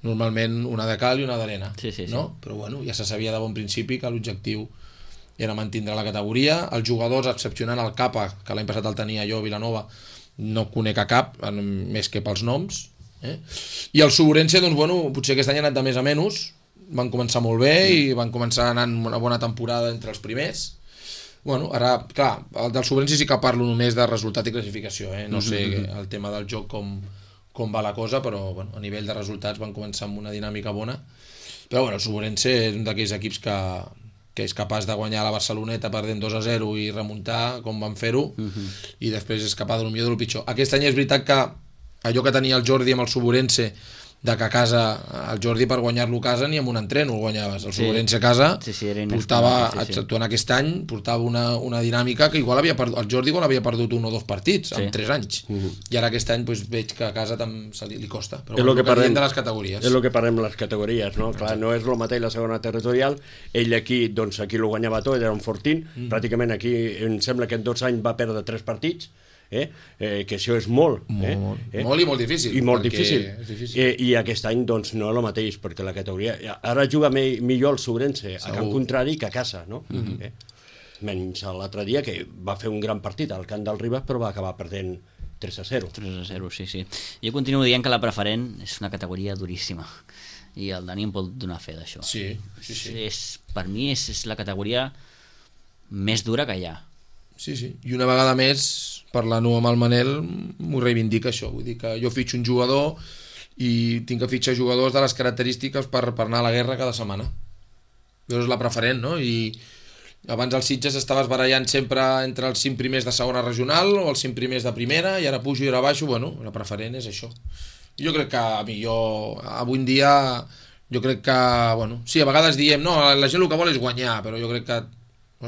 normalment una de cal i una d'arena, no? Però bueno, ja se sabia de bon principi que l'objectiu era mantindre la categoria. Els jugadors, excepcionant el Capa, que l'any passat el tenia jo a Vilanova, no conec a cap, més que pels noms, i el Suburense, doncs bueno, potser aquest any ha anat de més a menys, van començar molt bé i van començar anant una bona temporada entre els primers. Bueno, ara, clar, el del Suburense sí que parlo només de resultat i classificació, no sé el tema del joc com va la cosa, però bueno, a nivell de resultats van començar amb una dinàmica bona. Però bueno, el Suburense és un d'aquells equips que és capaç de guanyar la Barceloneta perdent 2-0 i remuntar com van fer-ho, i després és capaç de lo millor i de lo pitjor. Aquest any és veritat que allò que tenia el Jordi amb el Suburense, de que a casa el Jordi per guanyar-lo a casa ni amb un entreno el guanyaves, el Suburense a casa portava, actuant aquest any portava una dinàmica que igual el Jordi igual havia perdut 1 o 2 partits en 3 anys, i ara aquest any doncs, veig que a casa li costa, però bueno, que parlem de les categories. És el que parlem de les categories, no? Clar, no és el mateix la segona territorial, ell aquí lo guanyava tot, era un fortín, pràcticament aquí em sembla que en 2 anys va perdre 3 partits, que això és molt molt i molt difícil, i molt difícil. I aquest any doncs no és el mateix, perquè la categoria ara juga millor el Suburense a camp contrari que a casa, no? Menys l'altre dia que va fer un gran partit al camp del Ribas, però va acabar perdent 3-0. 3-0, sí. Jo continuo dient que la preferent és una categoria duríssima i el Dani em pot donar fe d'això. Sí. Per mi és la categoria més dura que hi ha. Sí, i una vegada més, parlant amb el Manel, m'ho reivindica això, vull dir que jo fitxo un jugador i tinc que fitxar jugadors de les característiques per anar a la guerra cada setmana. Això és la preferent, no? I Abans el Sitges estaves barallant sempre entre els 5 primers de segona regional o els 5 primers de primera, i ara pujo i ara baixo, bueno, la preferent és això. Jo crec que avui en dia, jo crec que, bueno, sí, a vegades diem, no, la gent el que vol és guanyar, però jo crec que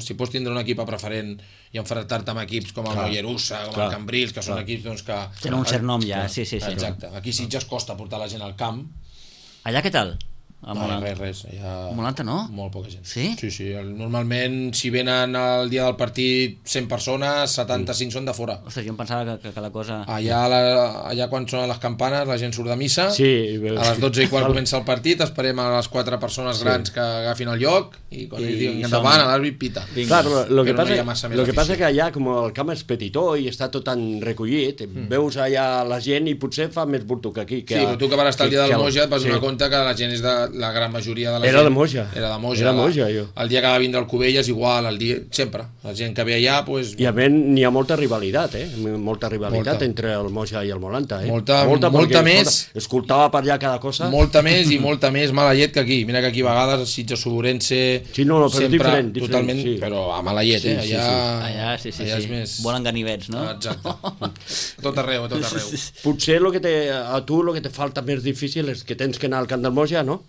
si pots tindre un equip a preferent i enfrontar-te amb equips com el Mollerussa, com el Cambrils, que són equips doncs, que... Tenen un cert nom ja, sí. Exacte, aquí Sitges costa portar la gent al camp. Allà què tal? Res. A Molanta no? Molt poca gent. Sí? Sí. Normalment, si venen el dia del partit 100 persones, 75 són de fora. Ostres, jo em pensava que la cosa... Allà quan sonen les campanes, la gent surt de missa, a les 12 i quart comença el partit, esperem a les 4 persones grans que agafin el lloc, i quan ells diuen endavant, l'àrbit pita. Clar, lo que passa que allà, com el camp és petitó i està tot tan recollit, veus allà la gent i potser fa més burto que aquí. Sí, però tu que vas estar el dia del Moja et vas donar compte que la gent és de la gran majoria de la gent... Era de Moja. Era de Moja, jo. El dia que va vindre el Cubelles, igual, sempre. La gent que ve allà, doncs... I a més, n'hi ha molta rivalitat, molta rivalitat entre el Moja i el Molanta, Molta més... Escoltava per allà cada cosa. Molta més i molta més mala llet que aquí. Mira que aquí a vegades el Sitges Soborense... Sí, no, però diferent. Totalment, però a mala llet, Allà és més... Volen ganivets, no? Exacte. Tot arreu. Potser a tu el que te falta més difícil és que tens que anar al camp del Moja, no?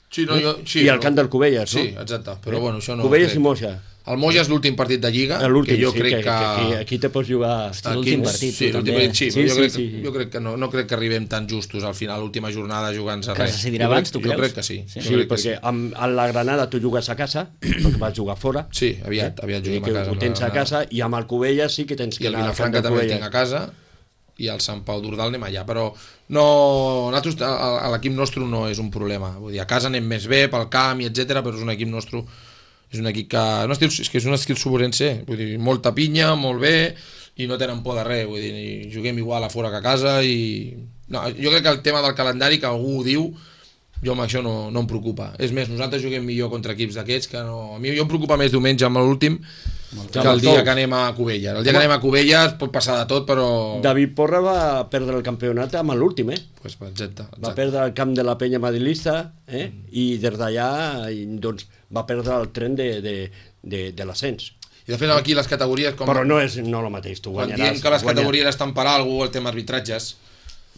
Sí, I al camp del Cubelles, no? Sí, exacte, però bueno, això no... Cubelles i Moja. El Moja és l'últim partit de Lliga, que jo crec que... Aquí te pots jugar... L'últim partit, sí, l'últim partit, sí, jo crec que no crec que arribem tan justos al final, l'última jornada jugant-se res. Que se decidirà abans, tu creus? Jo crec que sí. Sí, perquè amb la Granada tu jugues a casa, perquè vas jugar fora. Sí, aviat juguem a casa. Ho tens a casa, i amb el Cubelles sí que tens que anar al camp del Cubelles. I el Vilafranca també el tinc a casa, i al Sant Pau d'Ordal anem allà, però no, nosaltres, l'equip nostre no és un problema, vull dir, a casa anem més bé pel camp i etc, però és un equip nostre, és un equip que és un estil soborense, vull dir, molta pinya, molt bé, i no tenen por de res, vull dir, juguem igual a fora que a casa, i no, jo crec que el tema del calendari, que algú ho diu, jo amb això no em preocupa. És més, nosaltres juguem millor contra equips d'aquests, que no... A mi jo em preocupa més diumenge amb l'últim que el dia que anem a Cubelles. El dia que anem a Cubelles pot passar de tot, però... David Porra va perdre el campionat amb l'últim, Pues, exacte. Va perdre el camp de la penya madrilista, i des d'allà doncs, va perdre el tren de l'ascens. I de fet aquí les categories... Però no és el mateix, tu guanyaràs. Quan diem que les categories estan per alguna cosa, el tema arbitratges...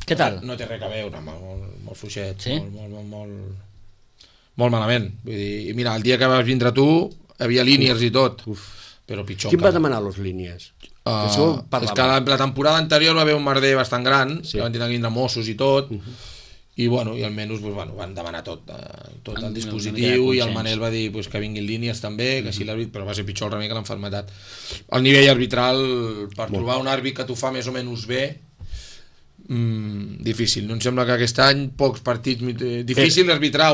Què tal? No té res a veure, molt fluixet, sí? molt malament. Vull dir, mira, el dia que vas vindre tu, hi havia línies i tot, però pitjor. Quin va demanar les línies? És que la temporada anterior va haver un merder bastant gran, que van tenir que vindre Mossos i tot, i almenys van demanar tot el dispositiu, i el Manel va dir que vinguin línies també, que així l'àrbit, però va ser pitjor el remei que l'enfermetat. El nivell arbitral, per trobar un àrbit que t'ho fa més o menys bé, difícil. No em sembla que aquest any pocs partits, difícil arbitrar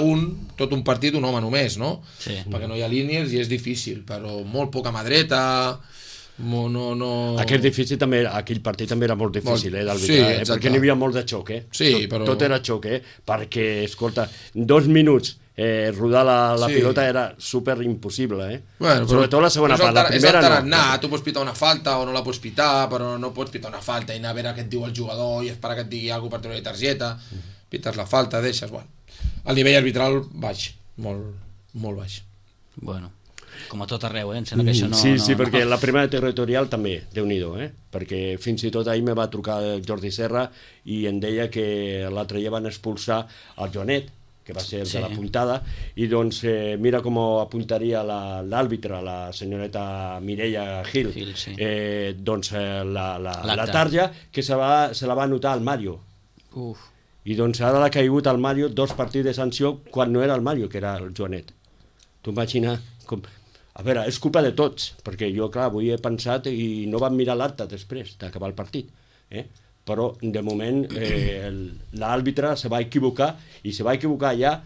tot un partit un home només, no? Sí. Perquè no hi ha línies i és difícil, però molt poca mà dreta, aquell partit també era molt difícil d'arbitrar, perquè n'hi havia molt de xoc, Sí, però... tot era xoc, perquè, escolta, 2 minuts rodar la pilota era super impossible, Bueno, sobretot la segona part, la primera no. Tu pots pitar una falta o no la pots pitar, però no pots pitar una falta i anar a veure què et diu el jugador i esperar que et digui alguna cosa per treure la targeta, pites la falta, deixes, el nivell arbitral baix, molt baix. Bueno, com a tot arreu, em sembla que això no... Sí, perquè la primera territorial també, Déu-n'hi-do, perquè fins i tot ahir me va trucar Jordi Serra i em deia que l'altre dia van expulsar el Joanet, que va ser el de la puntada, i doncs mira com apuntaria l'àrbitre, la senyoreta Mireia Gil, doncs la tarja que se la va anotar al Mario. I doncs ara l'ha caigut al Mario 2 partits de sanció quan no era el Mario, que era el Joanet. Tu imagina com... A veure, és culpa de tots, perquè jo, clar, avui he pensat i no vam mirar l'acte després d'acabar el partit, però de moment l'àrbitre se va equivocar i se va equivocar ja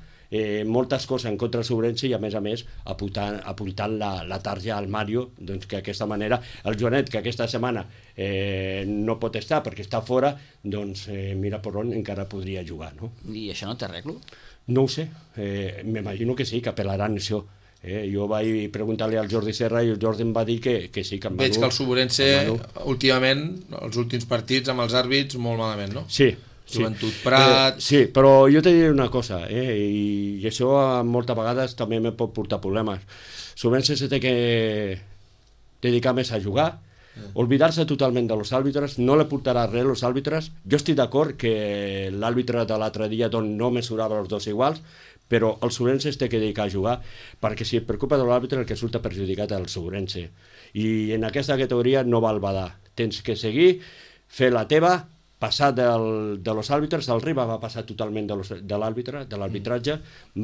moltes coses en contra del Sobrense i a més apuntant la tarja al Mario, doncs que d'aquesta manera el Joanet, que aquesta setmana no pot estar perquè està fora, doncs mira per on encara podria jugar, no? I això no té arreglo? No ho sé, m'imagino que sí, que apel·laran això. Jo vaig preguntar-li al Jordi Serra i el Jordi em va dir que sí, que en Manu... Veig que el Soborense últimament, els últims partits amb els àrbits molt malament, no? Sí, Joventut Prat... Sí, però jo t'he dit una cosa, i això moltes vegades també me pot portar problemes. Sovint se té que dedicar més a jugar, olvidar-se totalment de los àrbitres, no le portarà res als àrbitres. Jo estic d'acord que l'àrbitre de l'altre dia no mesurava els dos iguals, però el Sobrense es té que dedicar a jugar, perquè si et preocupa de l'àrbitre el que surt perjudicat és el Sobrense. I en aquesta categoria no val badar. Tens que seguir, fer la teva, passar de los àrbitres. El Ribas va passar totalment de l'arbitratge,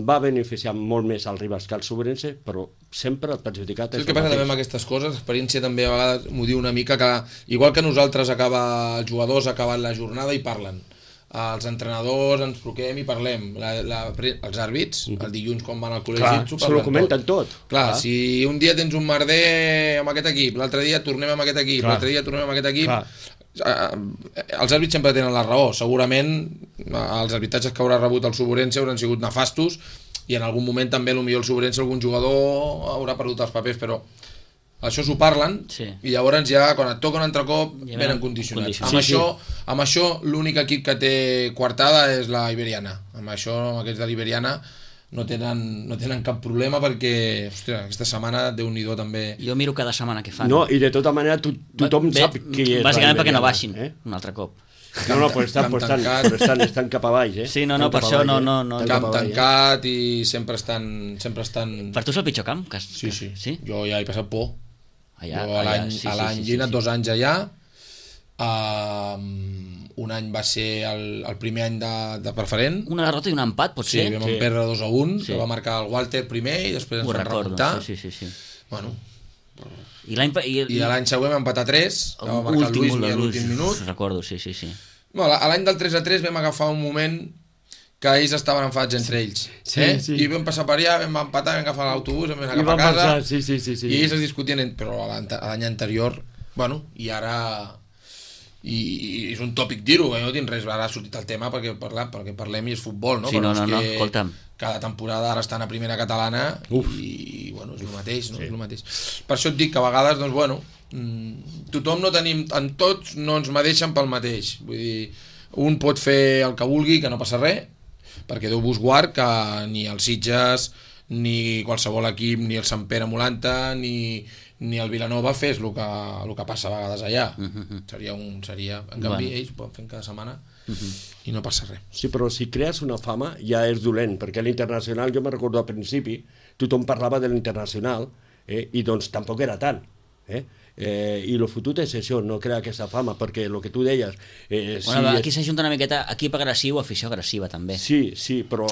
va beneficiar molt més el Ribas que el Sobrense, però sempre el perjudicat és el que passa també amb aquestes coses, l'experiència també a vegades m'ho diu una mica, que igual que nosaltres els jugadors acaben la jornada i parlen, els entrenadors ens truquem i parlem, els àrbits el dilluns quan van al col·legi se lo comenten tot. Clar, si un dia tens un merder amb aquest equip, l'altre dia tornem amb aquest equip, l'altre dia tornem amb aquest equip, els àrbits sempre tenen la raó. Segurament els arbitratges que haurà rebut el Sobrense hauran sigut nefastos i en algun moment també potser el Sobrense, algun jugador haurà perdut els papers, però això s'ho parlen i llavors ja quan et toca un altre cop venen condicionats. Amb això l'únic equip que té coartada és la Iberiana. Amb aquests de l'Iberiana no tenen cap problema perquè, hòstia, aquesta setmana Déu-n'hi-do també. Jo miro cada setmana què fan. No, i de tota manera tothom sap qui és. Bàsicament perquè no baixin un altre cop. No, però estan cap a baix, Sí, no, per això no. Camp tancat i sempre estan... Per tu és el pitjor camp? Sí. Jo ja he passat por. Jo a l'any he anat 2 anys allà. Un any va ser el primer any de preferent. Una derrota i un empat, potser? Sí, vam perdre 2-1, que va marcar el Walter primer i després ens vam remuntar. Sí. Bueno. I l'any següent vam empatar 3, que va marcar el Luis a l'últim minut. Recordo, sí. L'any del 3-3 vam agafar un moment que ells estaven enfadats entre ells. I vam passar per allà, vam empatar, vam agafar l'autobús, vam anar cap a casa, i ells es discutien, però l'any anterior, i ara... I és un tòpic dir-ho, no tinc res, ara ha sortit el tema perquè parlem i és futbol, no? Sí, no, escolta'm. Cada temporada ara estan a primera catalana i és el mateix, no? És el mateix. Per això et dic que a vegades, tothom no tenim, en tots no ens medeixen pel mateix, vull dir, un pot fer el que vulgui, que no passa res, perquè Déu vos guard que ni els Sitges, ni qualsevol equip, ni el Sant Pere Molanta, ni el Vilanova fes el que passa a vegades allà. En canvi ells ho poden fer cada setmana i no passa res. Sí, però si crees una fama ja és dolent, perquè l'internacional, jo me'n recordo al principi, tothom parlava de l'internacional i doncs tampoc era tant. I el fotut és això, no crear aquesta fama, perquè el que tu deies... Aquí s'ajunta una miqueta equip agressiu, afició agressiva també. Sí, però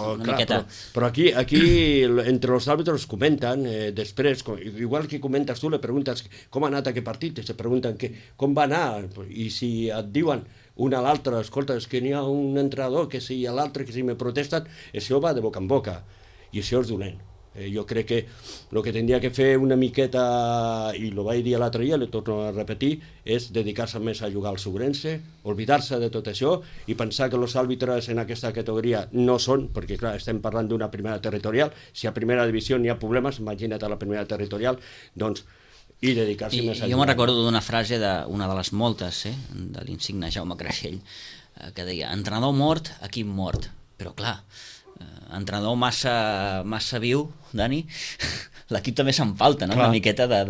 aquí entre els àrbitres comenten després, igual que comentes tu, le preguntes com ha anat aquest partit, se pregunten com va anar, i si et diuen un a l'altre, escolta, és que n'hi ha un entrenador que si a l'altre que si me protesten, això va de boca en boca, i això és dolent. Jo crec que el que tindria que fer una miqueta, i ho vaig dir l'altre dia, l'he torno a repetir, és dedicar-se més a jugar al Sobrense, oblidar-se de tot això i pensar que els àrbitres en aquesta categoria no són, perquè clar, estem parlant d'una primera territorial, si a primera divisió n'hi ha problemes, imagina't a la primera territorial, doncs, i dedicar-se més a jugar. Jo me'n recordo d'una frase d'una de les moltes, de l'insigne Jaume Creixell, que deia, entrenador mort, equip mort, però clar, entrenador massa viu, Dani, l'equip també se'n falta, no? Una miqueta de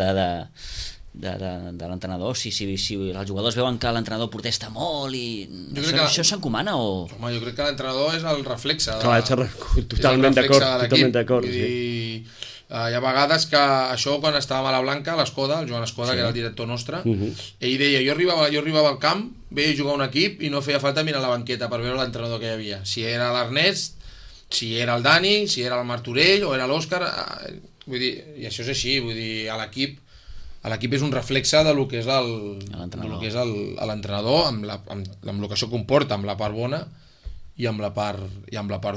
l'entrenador, si els jugadors veuen que l'entrenador protesta molt i això s'encomana o... Home, jo crec que l'entrenador és el reflexe totalment d'acord hi ha vegades que això quan estava a la Blanca, l'Escoda, el Joan Escoda, que era el director nostre, ell deia, jo arribava al camp, veia jugar un equip i no feia falta mirar la banqueta per veure l'entrenador que hi havia, si era l'Ernest, si era el Dani, si era el Martorell o era l'Òscar, vull dir, i això és així, vull dir, l'equip és un reflexe de lo que és l'entrenador, amb el que això comporta, amb la part bona i amb la part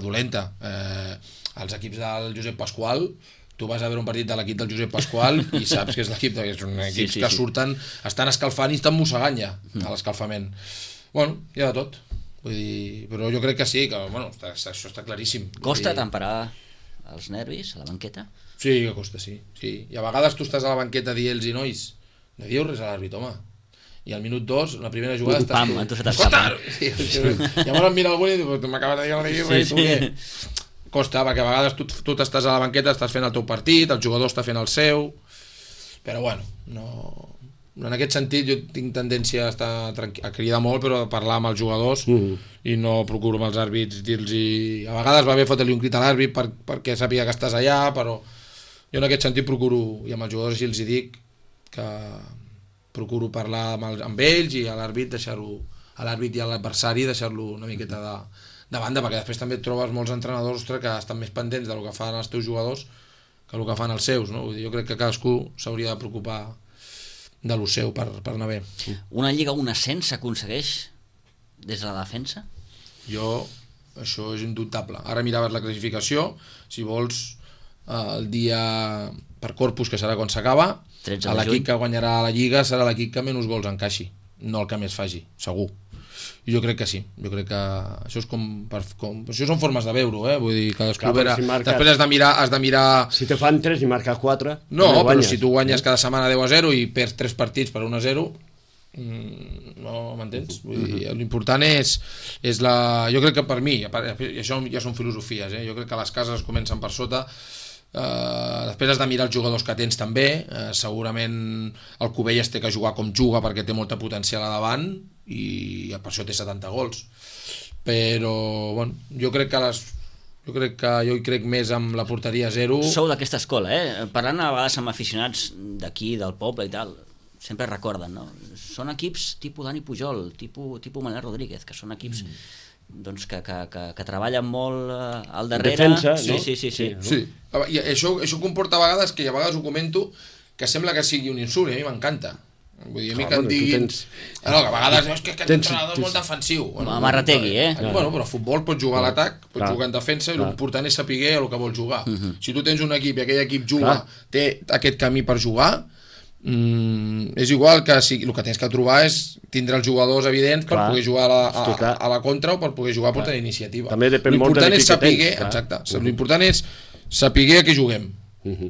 dolenta. Els equips del Josep Pasqual, tu vas a veure un partit de l'equip del Josep Pasqual i saps que és l'equip, és un equip que surten, estan escalfant i estan mossegant ja a l'escalfament. Bueno, hi ha de tot. Vull dir, però jo crec que sí, que això està claríssim. Costa temperar els nervis a la banqueta? Sí, que costa, sí. I a vegades tu estàs a la banqueta dient-los, nois, no dieu res a l'àrbit, home. i al minut 2, la primera jugada estàs Pam, tu. a tu se t'escapa. Sí, llavors em mira algú i diu, m'acabes de dir res, tu què? Costa, perquè a vegades tu t'estàs a la banqueta, estàs fent el teu partit, el jugador està fent el seu, però bueno, no... En aquest sentit jo tinc tendència a cridar molt, però a parlar amb els jugadors i no procuro amb els àrbits dir-los... A vegades va bé fotre-li un crit a l'àrbit perquè sàpiga que estàs allà, però jo en aquest sentit procuro, i amb els jugadors així els hi dic, que procuro parlar amb ells i a l'àrbit deixar-ho, a l'àrbit i a l'adversari deixar-lo una miqueta de banda, perquè després també et trobes molts entrenadors, ostres, que estan més pendents del que fan els teus jugadors que el que fan els seus, no? Vull dir, jo crec que cadascú s'hauria de preocupar de lo seu per anar bé. Una lliga, un ascens s'aconsegueix des de la defensa? Això és indubtable. Ara miraves la classificació, si vols el dia per Corpus, que serà quan s'acaba, l'equip que guanyarà la lliga serà l'equip que menys gols encaixi, no el que més faci, segur. I jo crec que sí, jo crec que això és això són formes de veure-ho, vull dir, cadascú verà, si després has de mirar... Si te fan 3 i marques 4... No, però si tu guanyes cada setmana 10-0 i perds 3 partits per 1-0, no m'entens? Vull dir, l'important és la... Jo crec que per mi, i això ja són filosofies, jo crec que les cases comencen per sota, després has de mirar els jugadors que tens també, segurament el Cubelles té que jugar com juga perquè té molta potencial a davant i per això té 70 gols, però bueno, jo crec que jo hi crec més amb la porteria 0. Sou d'aquesta escola, parlant a vegades amb aficionats d'aquí, del poble i tal, sempre recorden, no? Són equips tipus Dani Pujol, tipus Manel Rodríguez, que són equips doncs que treballen molt al darrere. Defensa, no? Sí. I això comporta a vegades, que a vegades ho comento, que sembla que sigui un insult, i a mi m'encanta. Vull dir, a mi que em diguin... que a vegades és que aquest entrenador és molt defensiu. Amarrategui, Bueno, però a futbol pots jugar a l'atac, pots jugar en defensa, i l'important és saber el que vols jugar. Si tu tens un equip i aquell equip juga, té aquest camí per jugar, és igual que el que tens que trobar és tindre els jugadors evidents per poder jugar a la contra o per poder jugar per tenir iniciativa. L'important és saber, l'important és saber a què juguem.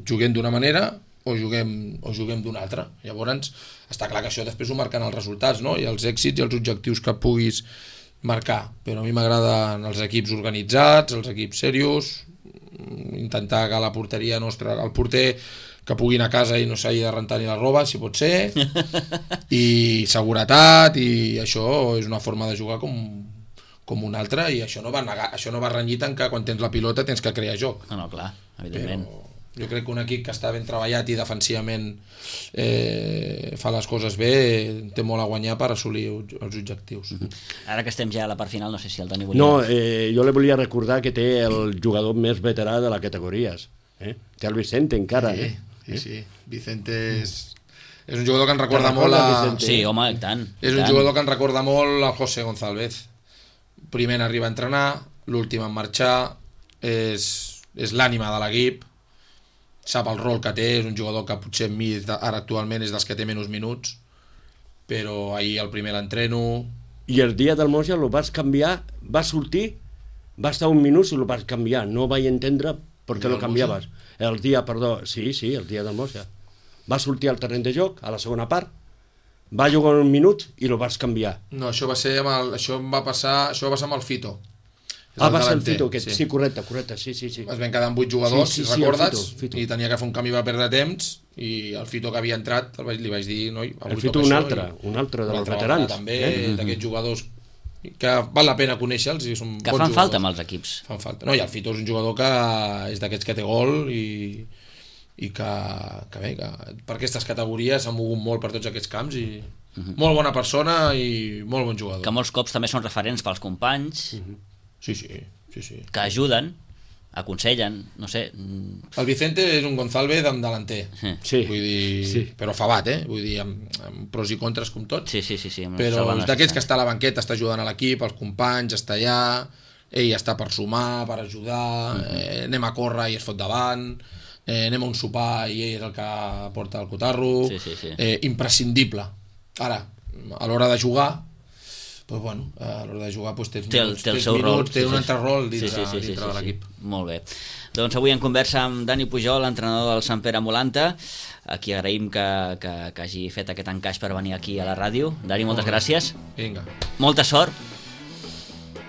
Juguem d'una manera o juguem d'una altra. Llavors està clar que això després ho marquen els resultats, no? I els èxits i els objectius que puguis marcar, però a mi m'agraden els equips organitzats, els equips serios, intentar que la porteria nostra, el porter que pugui anar a casa i no s'hagi de rentar ni la roba, si pot ser, i seguretat, i això és una forma de jugar com una altra, i això no va renyit en que quan tens la pilota tens que crear joc. No, clar, evidentment. Però jo crec que un equip que està ben treballat i defensivament fa les coses bé, té molt a guanyar per assolir els objectius. Ara que estem ja a la part final, no sé si el Dani volia... No, jo li volia recordar que té el jugador més veterà de les categories. Té el Vicente encara. Sí. Vicente és un jugador que ens recorda molt a... Sí, home, i tant. És un jugador que ens recorda molt a José González. Primer arriba a entrenar, l'últim en marxar, és l'ànima de l'equip, sap el rol que té, és un jugador que potser mi ara actualment és dels que té menys minuts, però ahir el primer l'entreno. I el dia del Moja el vas canviar, va sortir, va estar un minut i el vas canviar, no vaig entendre per què lo canviaves. El dia del Moja. Va sortir al terreny de joc, a la segona part, va jugar un minut i el vas canviar. No, això va passar amb el Fito. Va ser el Fito, sí, correcte, sí. Es van quedar amb 8 jugadors, si recordes, Fito. I tenia que fer un canvi per perdre temps, i el Fito que havia entrat li vaig dir, noi, el Fito un altre dels veterans. També, d'aquests jugadors que val la pena conèixer-los i són que fan falta amb els equips. Fan falta. No, i el Fito és un jugador que és d'aquests que té gol i que per aquestes categories s'ha mogut molt per tots aquests camps i molt bona persona i molt bon jugador. Que molts cops també són referents pels companys. Sí. Que ajuden, aconsellen, no sé. El Vicente és un González amb delanter. Sí. Vull dir, però favat, vull dir, amb pros i contres com tot. Sí. Però és d'aquests que està a la banqueta, està ajudant a l'equip, els companys, està allà, ell està per sumar, per ajudar, anem a córrer i es fot davant, anem a un sopar i ell és el que porta el cotarro. Imprescindible. Ara, a l'hora de jugar, pues bueno, a l'hora de jugar pues tens té el seu minuts, rol, té un altre rol dintre de l'equip. Molt bé. Doncs avui en conversa amb Dani Pujol, entrenador del Sant Pere Molanta, a qui agraïm que hagi fet aquest encaix per venir aquí a la ràdio. Dani, moltes gràcies. Vinga. Molta sort.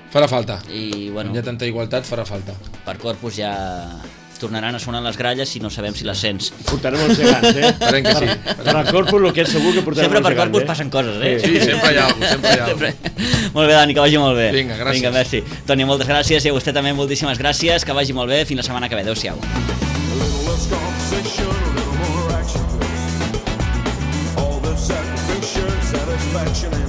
Farà falta. I, bueno, Hi ha tanta igualtat, farà falta. per Corpus ja tornaran a sonar les gralles i no sabem si les sents. Portarem els gegants, Esperem que sí. Per al Corpus el que és segur que portarem Sempre els per gegants, Corpus passen coses, Sí, sempre hi ha alguna cosa, sempre hi ha alguna Sempre. Molt bé, Dani, que vagi molt bé. Vinga, gràcies. Vinga, merci. Toni, moltes gràcies, i a vostè també moltíssimes gràcies, que vagi molt bé, fins la setmana que ve. Adéu-siau. A little less conversation, a little more action, please. All this sacrifice, satisfaction, and